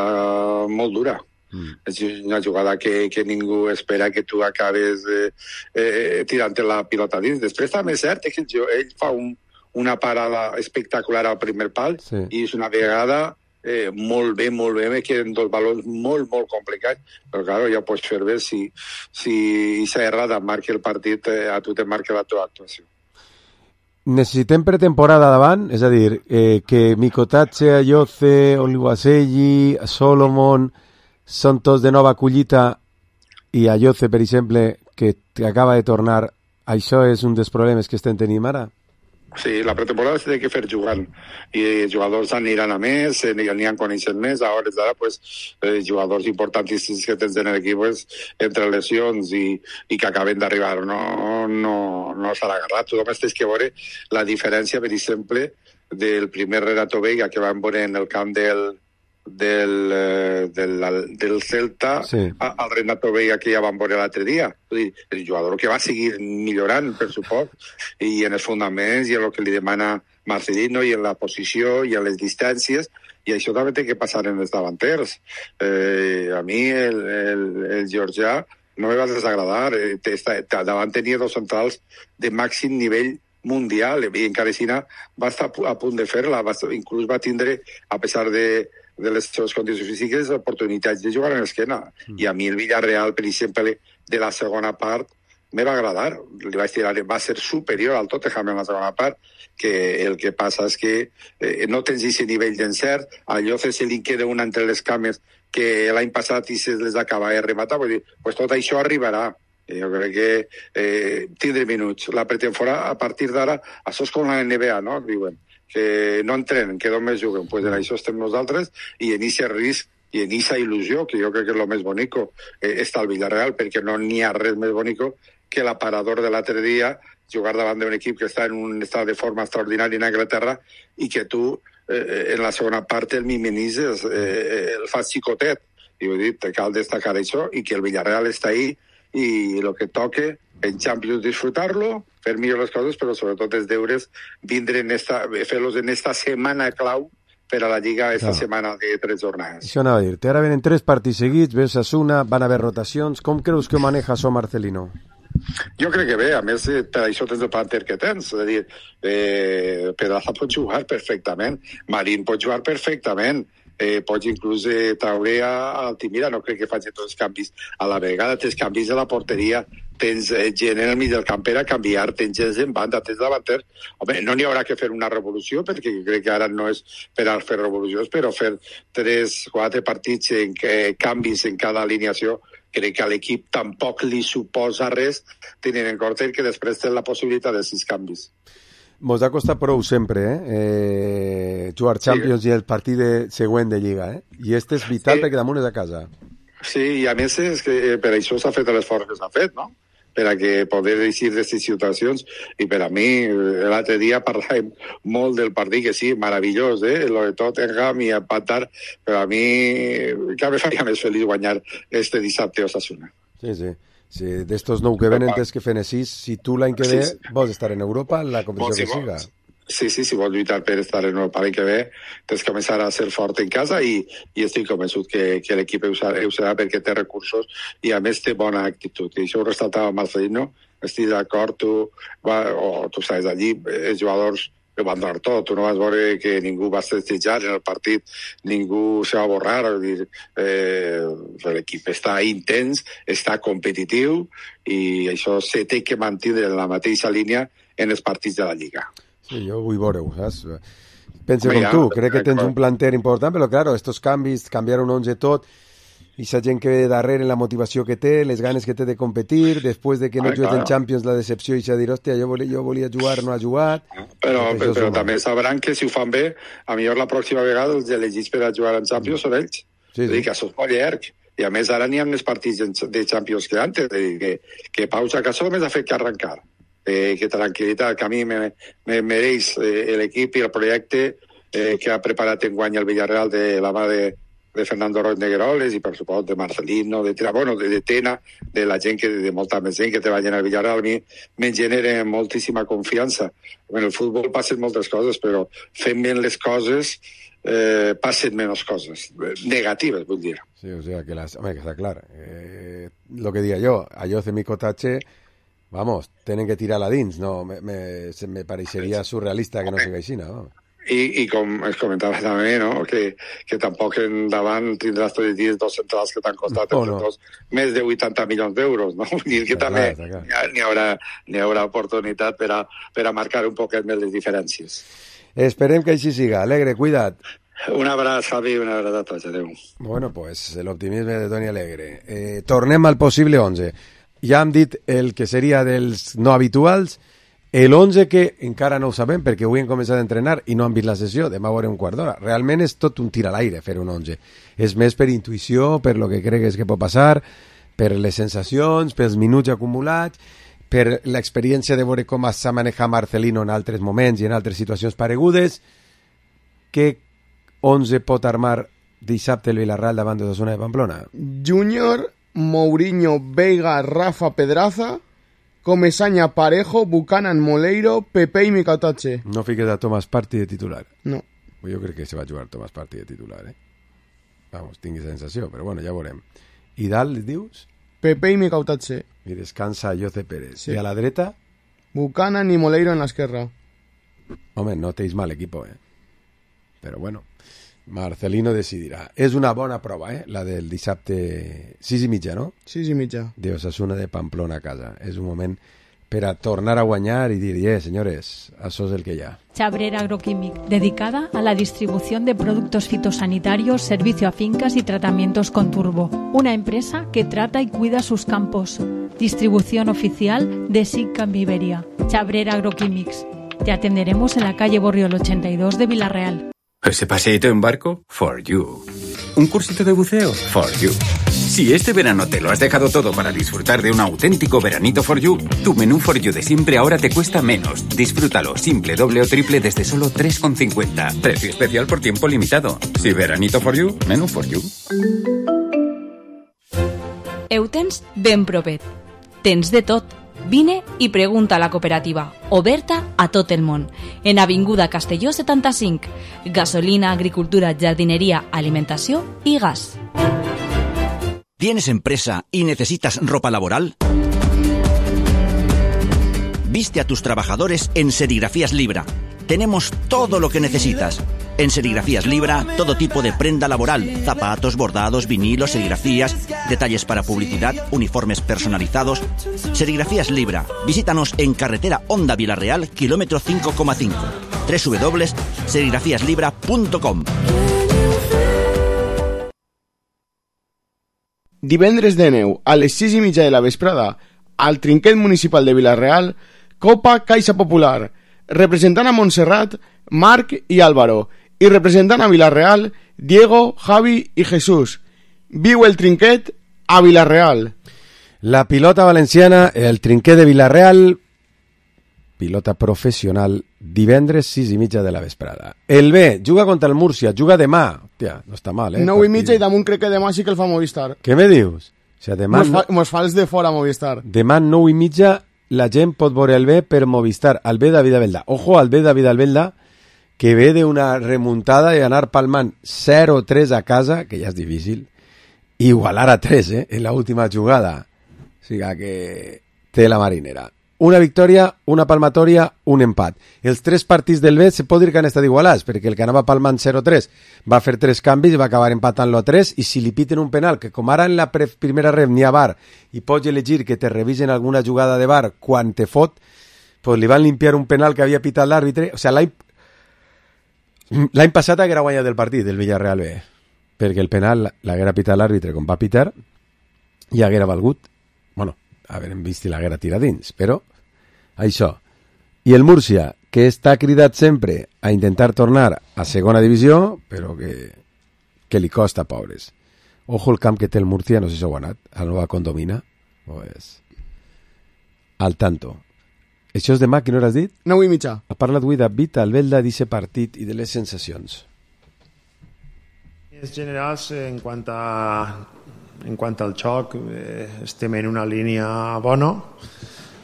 molt dura. Mm. És una jugada que, que ningú espera que tu acabes eh, eh, tirant la pilota dins. Després també és cert que ell fa un, una parada espectacular al primer pal sí. I és una vegada Eh, molt bé, molt bé, me queden dos balons molt, molt complicats, però claro, ja pots fer bé si, si s'ha errada marca el partit, eh, a tu te marca la teva actuació. Necessitem pretemporada davant, és a dir, eh, que Mikotatse, Ayoce, Oluwaseyi, Solomon són tots de nova collita i Ayoce, per exemple, que acaba de tornar, això és un dels problemes que estem tenint ara? Sí, la pretemporada se té que fer jugant i els jugadors aniran a més, n'hi han coneixent més, a hores d'ara pues, eh, jugadors importantíssims que tens en l'equip pues, entre lesions i, i que acaben d'arribar no, no, no s'han agarrat. Tu només tens que veure la diferència, per exemple, del primer Renato Veiga que van veure en el camp del del, eh, del, del Celta sí. al Renato Veiga que ja vam veure l'altre dia. El jugador que va seguir millorant, per suport, i en els fonaments i en el que li demana Marcelino i en la posició i en les distàncies, i això també té que passar en els davanters. Eh, a mi el, el, el Georgià no me va desagradar. Eh, davant tenia dos centrals de màxim nivell mundial i encara així va estar a punt de fer-la, va, inclús va tindre, a pesar de de les seves condicions físiques, oportunitats de jugar en l'esquena. Mm. I a mi el Villarreal, per exemple, de la segona part, me va agradar. Li vaig tirar, va ser superior al Tottenham en la segona part, que el que passa és que eh, no tens aquest nivell d'encert, a Lloce se li queda una entre les cames que l'any passat i se les acaba de rematar, vull dir, pues tot això arribarà. Jo crec que eh, tindré minuts. La pretemporada, a partir d'ara, això és com la N B A, no? Diuen que no entrenen, que només juguen. Pues en això estem nosaltres i en aquest risc i en aquesta il·lusió, que jo crec que és el més bonico, eh, està el Villarreal, perquè no n'hi ha res més bonico que l'aparador de l'altre dia, jugar davant d'un equip que està en un estat de forma extraordinari en Anglaterra i que tu, eh, en la segona part, el mimenises, eh, el fas xicotet. I vull dir, cal destacar això i que el Villarreal està ahí i el que toque en Champions disfrutar-lo, fer millor les coses, però sobretot els deures vindre en esta, fer-los en esta setmana clau per a la Lliga, esta no. setmana de tres jornades. Això anava a dir-te, ara venen tres partits seguits, ves Osasuna, van haver rotacions, com creus que ho maneja això Marcelino? Jo crec que bé, a més, per això tens el planter que tens, és a dir, eh, Pedraza pot jugar perfectament, Marín pot jugar perfectament, Eh, pots inclús eh, traure a Altimira, no crec que faci tots els canvis a la vegada, tens canvis de la porteria, tens eh, gent en el mig del camp per a canviar, tens gent en banda, tens davanter. Home, no n'hi haurà que fer una revolució, perquè crec que ara no és per a fer revolucions, però fer tres, quatre partits en eh, canvis en cada alineació, crec que a l'equip tampoc li suposa res, tenint en compte que després té la possibilitat de sis canvis. Mos ha costat prou sempre, eh? eh jugar Champions sí. i el partit de, següent de Lliga, eh? I este és vital sí. perquè damunt és a casa. Sí, i a més és que per això s'ha fet l'esforç que s'ha fet, no? Per a que poder eixir d'aquestes situacions, i per a mi, l'altre dia parlàvem molt del partit, que sí, meravellós, eh? Lo de Tottenham i empatar, però a mi cada vegada faria més feliç guanyar este dissabte a Osasuna. Sí, sí. Sí, d'estos nou que venen tens que fer sis, si tu l'any que ve sí, sí. vols estar en Europa, en la competició que siga. Sí, sí, si vols lluitar per estar en Europa l'any que ve, tens que començar a ser fort en casa i, i estic convençut que, que l'equip ho serà, ho serà perquè té recursos i a més té bona actitud. I això ho resaltava Marcelino, estic d'acord, tu, va, o tu saps allí, els jugadors ho van donar tot, tu no vas veure que ningú va festejar en el partit, ningú se va borrar, dir, eh, l'equip està intens, està competitiu i això se té que mantenir en la mateixa línia en els partits de la Lliga. Sí, jo vull veure-ho, saps? Pensa com ja, tu, crec que tens un planter important, però claro, estos canvis, canviar un onze tot, i sa gent que ve darrere, la motivació que té, les ganes que té de competir, després de que no jugues en Champions, la decepció i s'ha dir, hòstia, jo volia, jo volia jugar, no ha jugat. Però, però, però també sabran que si ho fan bé, a millor la pròxima vegada els elegits per a jugar en Champions són ells. Sí, sí. És dir, que això és molt llarg. I a més ara n'hi ha més partits de Champions que antes, és dir, que, que pausa que això només ha fet que arrencar. Eh, que tranquil·litat, que a mi me, me mereix eh, l'equip i el projecte eh, que ha preparat enguany el Villarreal de la mà de de Fernando Roig Negueroles i per supost de Marcelino, de bueno, de, de Tena, de la gent que, de molta més gent que treballa en el Villarreal, a mi me genera moltíssima confiança. En el futbol passen moltes coses, però fent bé les coses eh, passen menys coses, negatives, vull dir. Sí, o sea, que las, home, que està clar. Eh, lo que diga jo, a Jose Micotache, vamos, tenen que tirar-la dins, no? Me, me, se me pareixeria surrealista que no siga així, no? I, i com es comentava també, no? que, que tampoc endavant tindràs tots els dies dos centrals que t'han costat no, no. Dos, més de vuitanta milions d'euros, no? Vull dir que també n'hi haurà, n'hi haurà oportunitat per a, per a marcar un poquet més les diferències. Esperem que així siga. Alegre, cuida't. Un abraç, Javi, una abraç a tots. Adéu. Bueno, pues l'optimisme de Toni Alegre. Eh, tornem al possible onze. Ja hem dit el que seria dels no habituals. El onze que encara no ho sabem perquè avui hem començat a entrenar i no han vist la sessió, demà veurem un quart d'hora. Realment és tot un tir a l'aire fer un onze. És més per intuïció, per lo que cregues que pot passar, per les sensacions, pels minuts acumulats, per l'experiència de veure com s'ha manejat Marcelino en altres moments i en altres situacions paregudes. Què onze pot armar dissabte el Villarreal davant de Osasuna de Pamplona? Júnior, Mourinho, Veiga, Rafa, Pedraza, Comesaña, Parejo, Buchanan, Moleiro, Pepe i Mikatache. No fiques a Thomas Partey de titular. No. Jo crec que se va jugar Thomas Partey de titular, eh? Vamos, tingui sensació, però bueno, ja veurem. I dalt, dius? Pepe i Mikatache. I descansa Jose Pérez. Sí. I a la dreta? Buchanan i Moleiro en l'esquerra. Home, no teis mal equipo, eh? Però bueno, Marcelino decidirà. És una bona prova, eh? La del dissabte sis i mitja, no? sis i mitja. De Osasuna de Pamplona a casa. És un moment per a tornar a guanyar i dir, eh, señores, això és el que hi ha. Chabrera Agroquímic, dedicada a la distribución de productos fitosanitarios, servicio a fincas y tratamientos con turbo. Una empresa que trata y cuida sus campos. Distribución oficial de SICAM Iberia. Chabrera Agroquímics. Te atenderemos en la calle Borriol ochenta y dos de Villarreal. ¿Ese paseíto en barco? For you. ¿Un cursito de buceo? For you. Si este verano te lo has dejado todo para disfrutar de un auténtico veranito for you, tu menú for you de siempre ahora te cuesta menos. Disfrútalo simple, doble o triple desde solo tres con cincuenta. Precio especial por tiempo limitado. Si veranito for you, menú for you. Heu tens ben propet. Tens de tot. Vine i pregunta a la cooperativa, oberta a tot el món. En Avinguda Castelló setanta-cinc. Gasolina, agricultura, jardinería, alimentació i gas. ¿Tienes empresa y necesitas ropa laboral? Viste a tus trabajadores en Serigrafías Libra. Tenemos todo lo que necesitas. En Serigrafías Libra, todo tipo de prenda laboral, zapatos, bordados, vinilos, serigrafías, detalles para publicidad, uniformes personalizados. Serigrafías Libra. Visítanos en carretera Honda Villarreal, kilómetro cinco coma cinco. doble u doble u doble u punto serigrafías libra punto com. Divendres de neu, a les sis i mitja de la vesprada, al Trinquet Municipal de Villarreal, Copa Caixa Popular, representant a Montserrat, Marc i Álvaro, i representant a Villarreal, Diego, Javi i Jesús. Viu el Trinquet a Villarreal. La pilota valenciana, el Trinquet de Villarreal, pilota professional, divendres sis i mitja de la vesprada. El B juga contra el Múrcia, juga demà. Hòstia, no està mal, eh? nou i mitja i damunt crec que demà sí que el fa Movistar. Què me dius? O sigui, demà... Mos fa, mos fa els de fora Movistar. Demà nou i mitja la gent pot veure el B per Movistar, el B David Albelda. Ojo al B David Albelda, que ve d'una remuntada i anar palmant zero tres a casa, que ja és difícil, igualar a tres, eh, en l'última jugada. O sigui que té la marinera. Una victòria, una palmatòria, un empat. Els tres partits del B se pot dir que han estat igualats, perquè el que anava palmant zero tres va fer tres canvis i va acabar empatant-lo a tres, i si li piten un penal, que com ara en la pre- primera rev n'hi ha V A R, i pots elegir que te revisen alguna jugada de V A R quan te fot, pues li van limpiar un penal que havia pitat l'àrbitre. O sigui, l'any, l'any passat haguera guanyat el partit del Villarreal B, perquè el penal l'haguera pitat l'àrbitre com va pitar i haguera valgut, bueno, haverem vist i l'haguera tirat dins, però això. I el Múrcia, que està cridat sempre a intentar tornar a segona divisió, però que, que li costa, pobres. Ojo el camp que té el Múrcia, no sé si ho ha anat, a la nova condomina, pues, al tanto. Això és demà, quina hora has dit? nou i mitja. Ha parlat avui David Albelda d'aquest partit i de les sensacions. En general, en quant a en quant al xoc, eh, estem en una línia bona.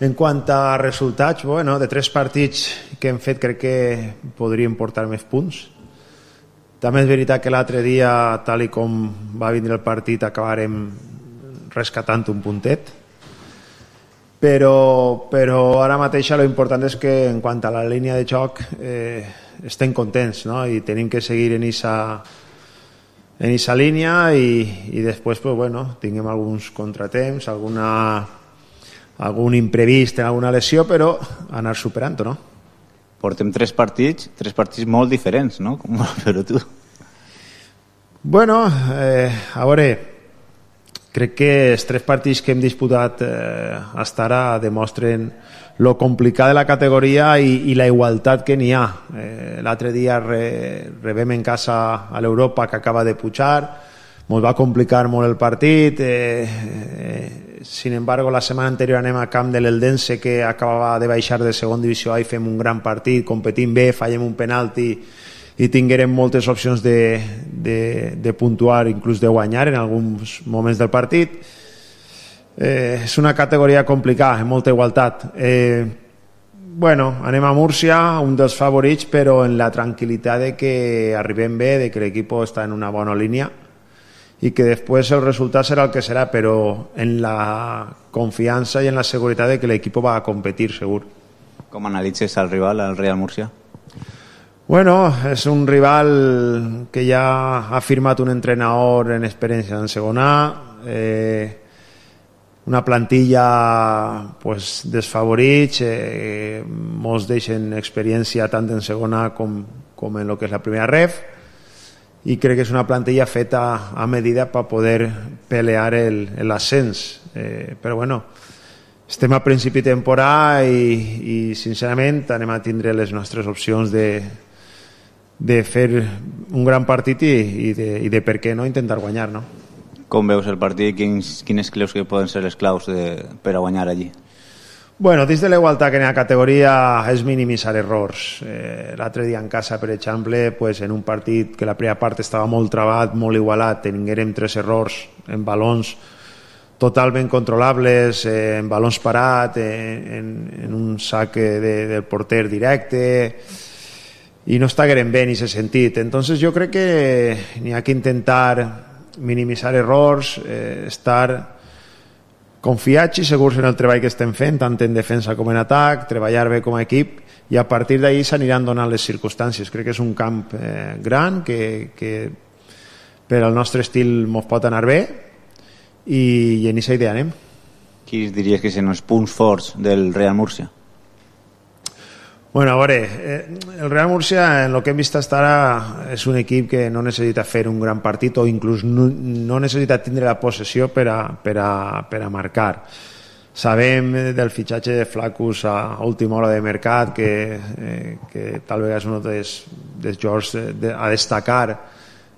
En quant a resultats, bueno, de tres partits que hem fet crec que podríem portar més punts. També és veritat que l'altre dia, tal i com va vindre el partit, acabarem rescatant un puntet. Però, però ara mateix lo important és que en quant a la línia de xoc eh, estem contents, no? I tenim que seguir en esa en esa línia i, i després pues, bueno, tinguem alguns contratemps, alguna, algun imprevist en alguna lesió, però anar superant-ho, no? Portem tres partits, tres partits molt diferents, no? Com però tu. Bueno, eh, a veure, crec que els tres partits que hem disputat eh, hasta ara demostren lo complicat de la categoria i, i la igualtat que n'hi ha. Eh, l'altre dia re, rebem en casa a l'Europa que acaba de pujar, ens va complicar molt el partit, eh, eh, sin embargo la setmana anterior anem a camp de l'Eldense que acabava de baixar de segona divisió A i fem un gran partit, competim bé, fallem un penalti i tinguérem moltes opcions de, de, de puntuar, inclús de guanyar en alguns moments del partit. Eh, és una categoria complicada, amb molta igualtat. Eh, bueno, anem a Múrcia, un dels favorits, però en la tranquil·litat de que arribem bé, de que l'equip està en una bona línia i que després el resultat serà el que serà, però en la confiança i en la seguretat de que l'equip va a competir, segur. Com analitzes el rival, el Real Múrcia? Bueno, és un rival que ja ha firmat un entrenador en experiència en segona A, eh, una plantilla pues, desfavorits, eh, molts deixen experiència tant en segona com, com en el que és la primera ref, i crec que és una plantilla feta a medida per poder pelear l'ascens. Eh, però bueno, estem a principi de temporada i, i sincerament anem a tindre les nostres opcions de, de fer un gran partit i, i, de, i de per què no intentar guanyar, no? Com veus el partit? Quins, quines creus que poden ser les claus de, per a guanyar allí? Bueno, dins de la igualtat que en la categoria és minimitzar errors. Eh, l'altre dia en casa, per exemple, pues, en un partit que la primera part estava molt trabat, molt igualat, tinguérem tres errors en balons totalment controlables, eh, en balons parat, en, en, en un saque de, del porter directe, i no estaguérem bé en aquest sentit. Entonces jo crec que n'hi ha que intentar minimitzar errors, eh, estar confiats i segurs en el treball que estem fent, tant en defensa com en atac, treballar bé com a equip, i a partir d'ahir s'aniran donant les circumstàncies. Crec que és un camp eh, gran que, que per al nostre estil ens pot anar bé i, i en aquesta idea anem. Quins diries que són els punts forts del Real Múrcia? Bueno, a veure, eh, el Real Múrcia en el que hem vist fins ara és un equip que no necessita fer un gran partit o inclús no, no necessita tindre la possessió per a, per a, per a marcar. Sabem del fitxatge de Flaccus a última hora de mercat que, eh, que tal vegada és un dels, dels jocs de, a destacar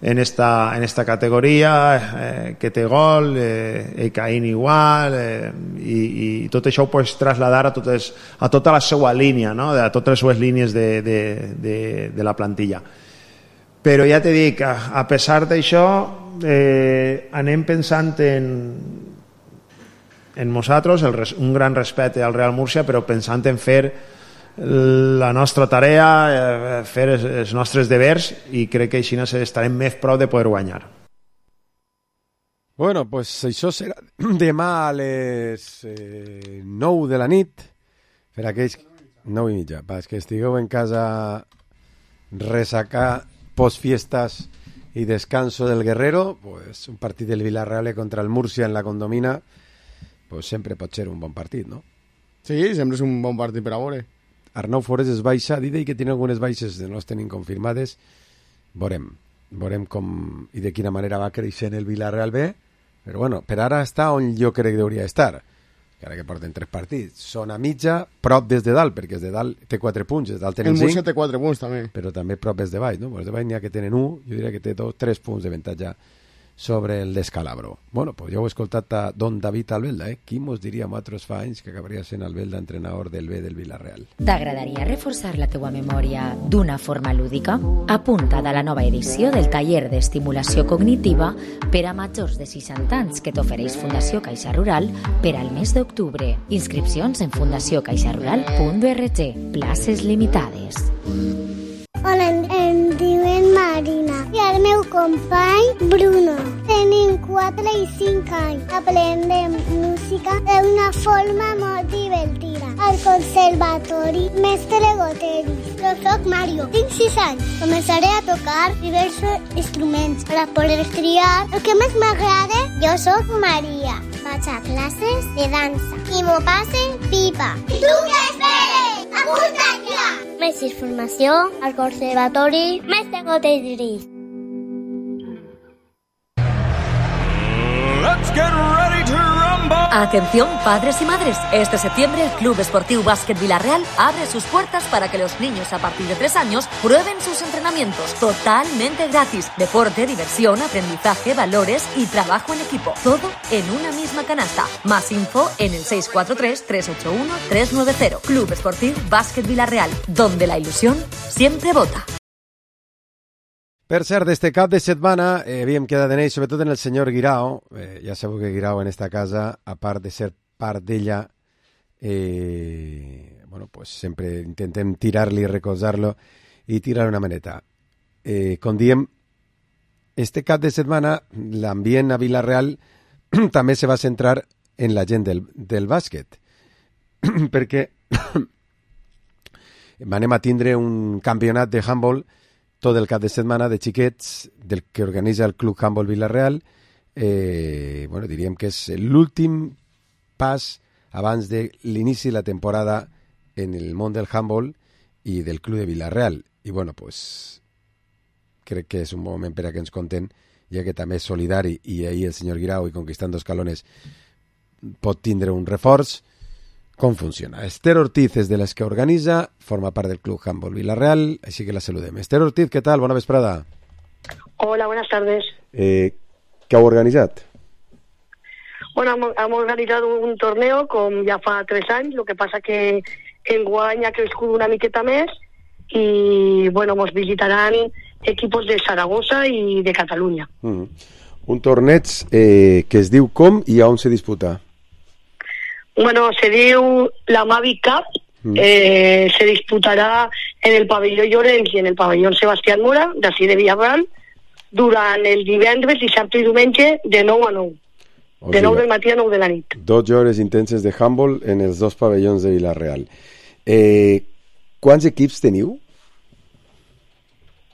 en esta, en esta categoria, eh, que té gol, eh, Ekaín igual, eh, i, i tot això ho pots trasladar a, totes, a tota la seva línia, no? A totes les seues línies de, de, de, de la plantilla. Però ja te dic, a, a pesar d'això, eh, anem pensant en, en nosaltres, el, un gran respecte al Real Múrcia, però pensant en fer la nostra tarea, fer els nostres devers, i crec que així estarem més prou de poder guanyar. Bueno, pues això serà demà a les eh, nou de la nit, per aquells nou i mitja, per que estigueu en casa ressacar postfiestas i descanso del Guerrero, pues un partit del Villarreal contra el Múrcia en la Condomina, pues sempre pot ser un bon partit, no? Sí, sempre és un bon partit per a veure. Arnau Forés es baixa, dit que tiene algunes baixes que no les tenim confirmades. Veurem, veurem com i de quina manera va creixent el Villarreal B, però bueno, per ara està on jo crec que hauria d'estar, que ara que porten tres partits. Són a mitja, prop des de dalt, perquè des de dalt té quatre punts, des de dalt tenen cinc. El Múrcia té quatre punts també. Però també prop des de baix, no? Des de baix n'hi ha que tenen un, jo diria que té dos, tres punts d'avantatge sobre el descalabro. Bueno, pues ja ho he escoltat a don David Albelda, eh? Qui mos diria a altres fa anys que acabaria sent Albelda entrenador del B del Villarreal. T'agradaria reforçar la teua memòria d'una forma lúdica? Apunta't a la nova edició del taller d'estimulació cognitiva per a majors de seixanta anys que t'ofereix Fundació Caixa Rural per al mes d'octubre. Inscripcions en fundació caixa rural punt org. Places limitades. Hola, em diuen Marina i el meu company Bruno. Tenim quatre i cinc anys. Aprendem música d'una forma molt divertida. Al conservatori Mestre Goteris. Jo soc Mario, tinc sis anys. Començaré a tocar diversos instruments per a poder triar el que més m'agrada. Jo soc Maria. Vaig a classes de dansa i m'ho passe pipa. I tu què esperes? Apunta't ja! Més informació al conservatori Mestre Goteris. Let's get ready to rumble! Atención padres y madres, este septiembre el Club Esportiu Básquet Villarreal abre sus puertas para que los niños a partir de tres años prueben sus entrenamientos totalmente gratis. Deporte, diversión, aprendizaje, valores y trabajo en equipo. Todo en una misma canasta. Más info en el seis cuatro tres, tres ocho uno, tres nueve cero. Club Esportiu Básquet Villarreal, donde la ilusión siempre vota. Per cert, d'este cap de setmana eh, havíem quedat en ell, sobretot en el senyor Guirao. Eh, ja sabeu que Guirao en esta casa, a part de ser part d'ella, eh, bueno, pues sempre intentem tirar-li, recolzar-lo i tirar una maneta. Eh, com diem, este cap de setmana l'ambient a Vila-real també se va centrar en la gent del, del bàsquet, perquè anem a tindre un campionat de handball tot el cap de setmana de xiquets del que organitza el Club Handball Vila-real. Eh, bueno, diríem que és l'últim pas abans de l'inici de la temporada en el món del handball i del Club de Vila-real. I bueno, pues crec que és un moment per a que ens conten, ja que també és solidari i ahir el senyor Guirao i Conquistando Escalones pot tindre un reforç. Com funciona. Esther Ortiz és de les que organitza, forma part del Club Handball Vila-real, així que la saludem. Esther Ortiz, ¿qué tal? Bona vesprada. Hola, buenas tardes. Eh, ¿Qué heu organitzat? Bueno, hem organitzat un torneo com ja fa tres anys, el que passa que enguany ha crescut una miqueta més i, bueno, ens visitaran equipos de Saragossa i de Catalunya. Mm. Un torneig eh, que es diu com i on se disputa? Bueno, se diu la Mavi Cup, mm. eh, se disputarà en el pavelló Llorenç i en el pavelló Sebastián Mora, d'ací de Villarreal, durant el divendres, dissabte i diumenge, de nou a nou. O de sigui, nou del matí a nou de la nit. dotze hores intenses de handball en els dos pavellons de Villarreal. Eh, quants equips teniu?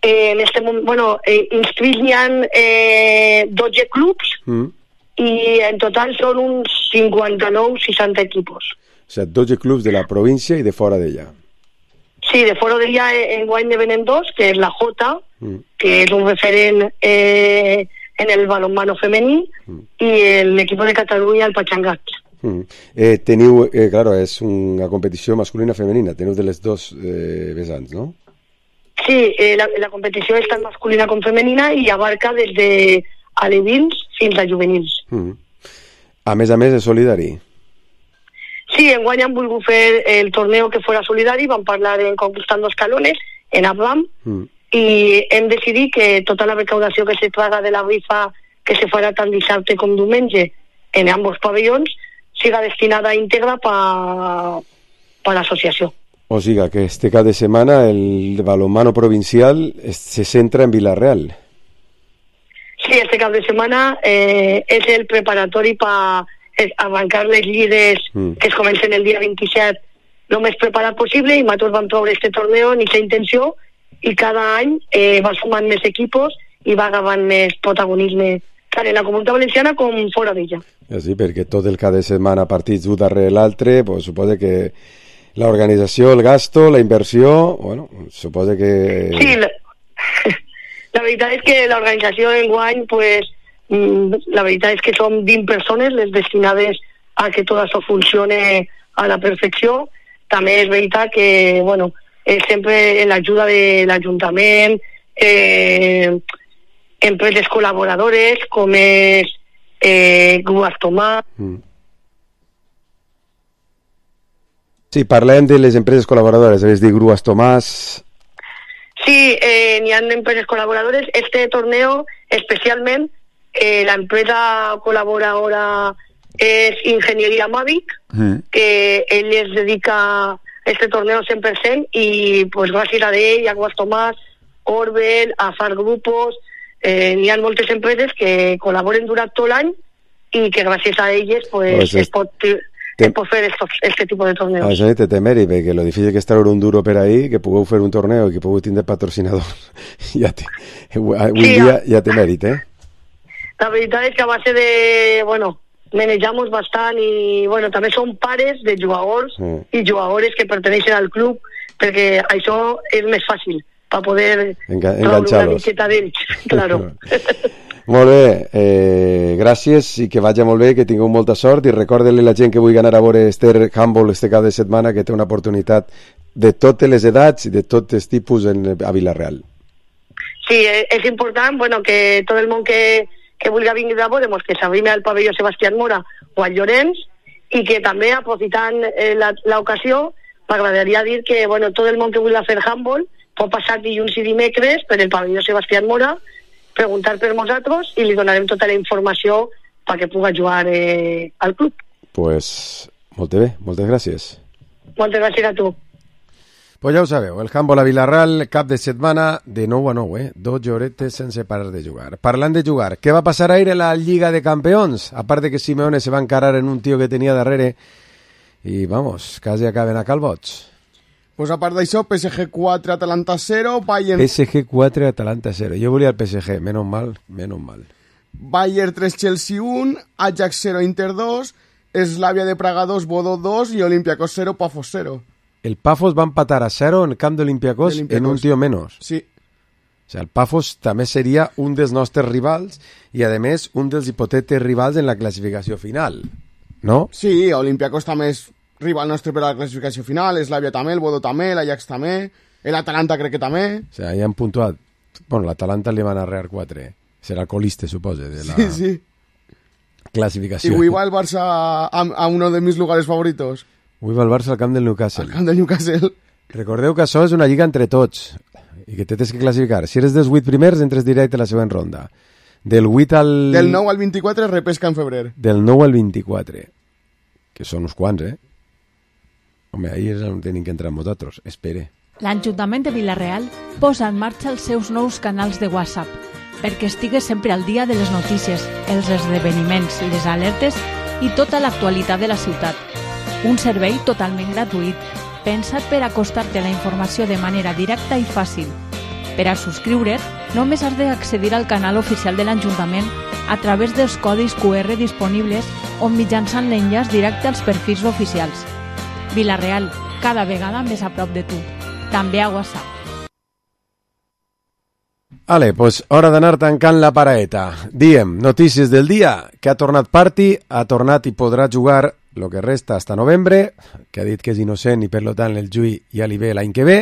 Eh, en este moment, bueno, eh, inscrits n'hi ha eh, dotze clubs, mm. i en total són uns cinquanta-nou seixanta equipos. O sigui, dotze clubs de la província i de fora d'ella. Sí, de fora d'ella enguany ne venen dos, que és la Jota, mm. que és un referent eh, en el balonmano femení, mm. i l'equip de Catalunya, el Patxangat. Mm. Eh, teniu, eh, claro, és una competició masculina-femenina, teniu de les dos eh, vessants, no? Sí, eh, la, la competició és tant masculina com femenina i abarca des de alevins fins a juvenils. Mm. A més a més és solidari. Sí, enguany han volgut fer el torneo que fora solidari, vam parlar en Conquistando Escalones, en Abram, mm. i hem decidit que tota la recaudació que se traga de la rifa que se farà tant dissabte com diumenge en ambos pavellons siga destinada íntegra pa, pa l'associació. O sigui que este cap de setmana el balonmano provincial se centra en Vila-real. Sí, este cap de setmana eh, és el preparatori per arrencar les lligues mm. que es comencen el dia vint-i-set el més preparat possible, i nosaltres vam trobar este torneo en aquesta intenció, i cada any eh, va sumant més equipos i va agafant més protagonisme tant en la Comunitat Valenciana com fora d'ella. Ja sí, perquè tot el cap de setmana partits un darrere l'altre, pues, suposa que l'organització, el gasto, la inversió, bueno, suposa que... Sí, la... La veritat és que l'organització d'enguany, pues, la veritat és que som vint persones les destinades a que tot això funcione a la perfecció. També és veritat que, bueno, és sempre en l'ajuda de l'Ajuntament, eh, empreses col·laboradores, com és eh, Grues Tomàs. Mm. Sí, parlem de les empreses col·laboradores, és dir, Grues Tomàs... Sí, eh, n'hi ha empreses colaboradores. Este torneo, especialment, eh, la empresa colaboradora es Ingeniería Mavic, mm. que ell es dedica a este torneo cent per cent i pues, gràcies a ell, a Guas Tomàs, Orbel, a Far Grupos, eh, n'hi ha moltes empreses que col·laboren durant tot l'any i que gràcies a elles pues, pues es pot... Te... pot fer estos, este tipus de torneos. Això té temeri, perquè lo difícil que és treure un duro per ahí, que pugueu fer un torneo i que pugueu tindre patrocinadors. ja té, un sí, dia ja té mèrit, eh? La veritat és que a base de, bueno, manejamos bastant i, bueno, també són pares de jugadors mm. i jugadores que perteneixen al club, perquè això és més fàcil, per poder Enga enganxar-los. Una miqueta d'ells, claro. Molt bé, eh, gràcies i que vagi molt bé, que tingueu molta sort i recorda-li a la gent que vulgui anar a veure este handball este cap de setmana que té una oportunitat de totes les edats i de tots els tipus en, a Vila-real. Sí, és important, bueno, que tot el món que, que vulgui venir a veure que s'arrime al pavelló Sebastián Mora o al Llorenç, i que també, aprofitant eh, l'ocasió, m'agradaria dir que bueno, tot el món que vulgui fer handball pot passar dilluns i dimecres per el pavelló Sebastián Mora, preguntar per nosaltres i li donarem tota la informació perquè pugui jugar eh, al club. Pues, molt bé, moltes gràcies. Moltes gràcies a tu. Pues ja ho sabeu, el handball a Vila-real, cap de setmana de nou a nou, eh? dotze horetes sense parar de jugar. Parlant de jugar, què va passar ahir en la Lliga de Campeons? A part de que Simeone se va encarar en un tio que tenia darrere i, vamos, quasi acaben a calbots. Pues a part d'això, P S G quatre, Atalanta zero, Bayern... P S G quatre, Atalanta zero. Jo volia el P S G, menos mal, menos mal. Bayern tres, Chelsea un, Ajax zero, Inter dos, Slavia de Praga dos, Bodo dos i Olympiacos zero, Pafos zero. El Pafos va empatar a cero en el camp d'Olympiacos en un tio menos. Sí. O sea, el Pafos també seria un dels nostres rivals i, a més, un dels hipotètics rivals en la classificació final, no? Sí, Olympiacos també és rival nostre per a la classificació final, Slavia també, el Bodo també, l'Ajax també, l'Atalanta crec que també. O sea, ja han puntuat. Bueno, l'Atalanta li van arrear quatre. Serà colista, suposa, de la sí, sí. classificació. I avui va el Barça a, a uno de mis lugares favoritos. Avui va el Barça al camp del Newcastle. Al camp del Newcastle. Recordeu que això és una lliga entre tots i que tens que classificar. Si eres dels vuit primers, entres directe a la següent ronda. Del vuit al... Del nou al vint-i-quatre repesca en febrer. Del nou al vint-i-quatre. Que són uns quants, eh? Home, ahir és on tenim que entrar nosaltres. Espere. L'Ajuntament de Vila-real posa en marxa els seus nous canals de WhatsApp perquè estigues sempre al dia de les notícies, els esdeveniments, les alertes i tota l'actualitat de la ciutat. Un servei totalment gratuït, pensat per acostar-te la informació de manera directa i fàcil. Per a subscriure't, només has d'accedir al canal oficial de l'Ajuntament a través dels codis Q R disponibles o mitjançant l'enllaç directe als perfils oficials. Vila-real, cada vegada més a prop de tu. També a WhatsApp. Ale, pues hora d'anar tancant la paraeta. Diem, notícies del dia, que ha tornat Parti, ha tornat i podrà jugar lo que resta hasta novembre, que ha dit que és innocent i per lo tant el Jui ja li ve l'any que ve,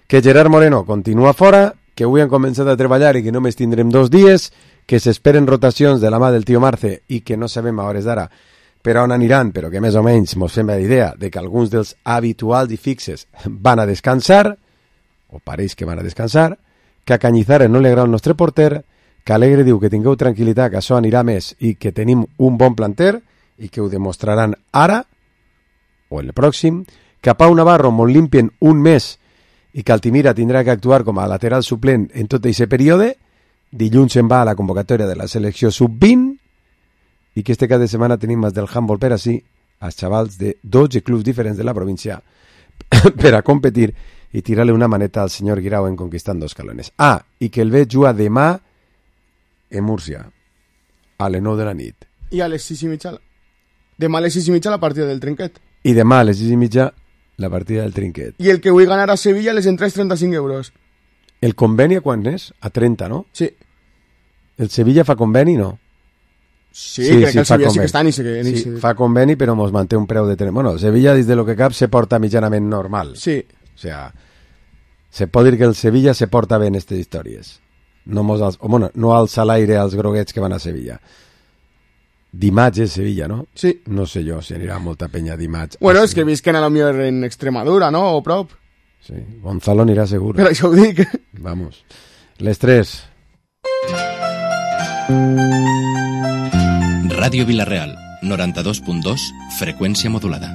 que Gerard Moreno continua fora, que avui han començat a treballar i que només tindrem dos dies, que s'esperen rotacions de la mà del tio Marce i que no sabem a hores d'ara per on aniran, però que més o menys mos fem la idea de que alguns dels habituals i fixes van a descansar, o pareix que van a descansar, que a Cañizares no li agrada el nostre porter, que Alegre diu que tingueu tranquil·litat, que això anirà més i que tenim un bon planter i que ho demostraran ara o en el pròxim, que a Pau Navarro molt limpien un mes i que Altimira tindrà que actuar com a lateral suplent en tot aquest període, dilluns se'n va a la convocatòria de la selecció sub vint i que este cap de setmana tenim més del handball per així als xavals de dotze clubs diferents de la província per a competir i tirar-li una maneta al senyor Guirao en conquistant dos calones. Ah, i que el veig jugar demà en Múrcia a les nou de la nit. I a les sis i mitja demà a les sis i mitja la partida del trinquet. I demà a les sis i mitja la partida del trinquet. I el que vull ganar a Sevilla les entrades trenta-cinc euros. El conveni a quan és? A trenta, no? Sí. El Sevilla fa conveni, no? Sí, sí crec sí, que el Sevilla sí que està ni se... Ni sí, se... fa conveni però mos manté un preu de... Bueno, el Sevilla des de lo que cap se porta mitjanament normal. Sí. O sea, se pot dir que el Sevilla se porta bé en aquestes històries. No, mos als... o, bueno, no alça l'aire als groguets que van a Sevilla. Dimarts és Sevilla, no? Sí. No sé jo si anirà molta penya dimarts. Bueno, és que visquen a lo millor en Extremadura, no? O prop. Sí, Gonzalo anirà segur. Per això ho dic. Vamos. Les tres. Ràdio Vila-real, noranta-dos punt dos, freqüència modulada.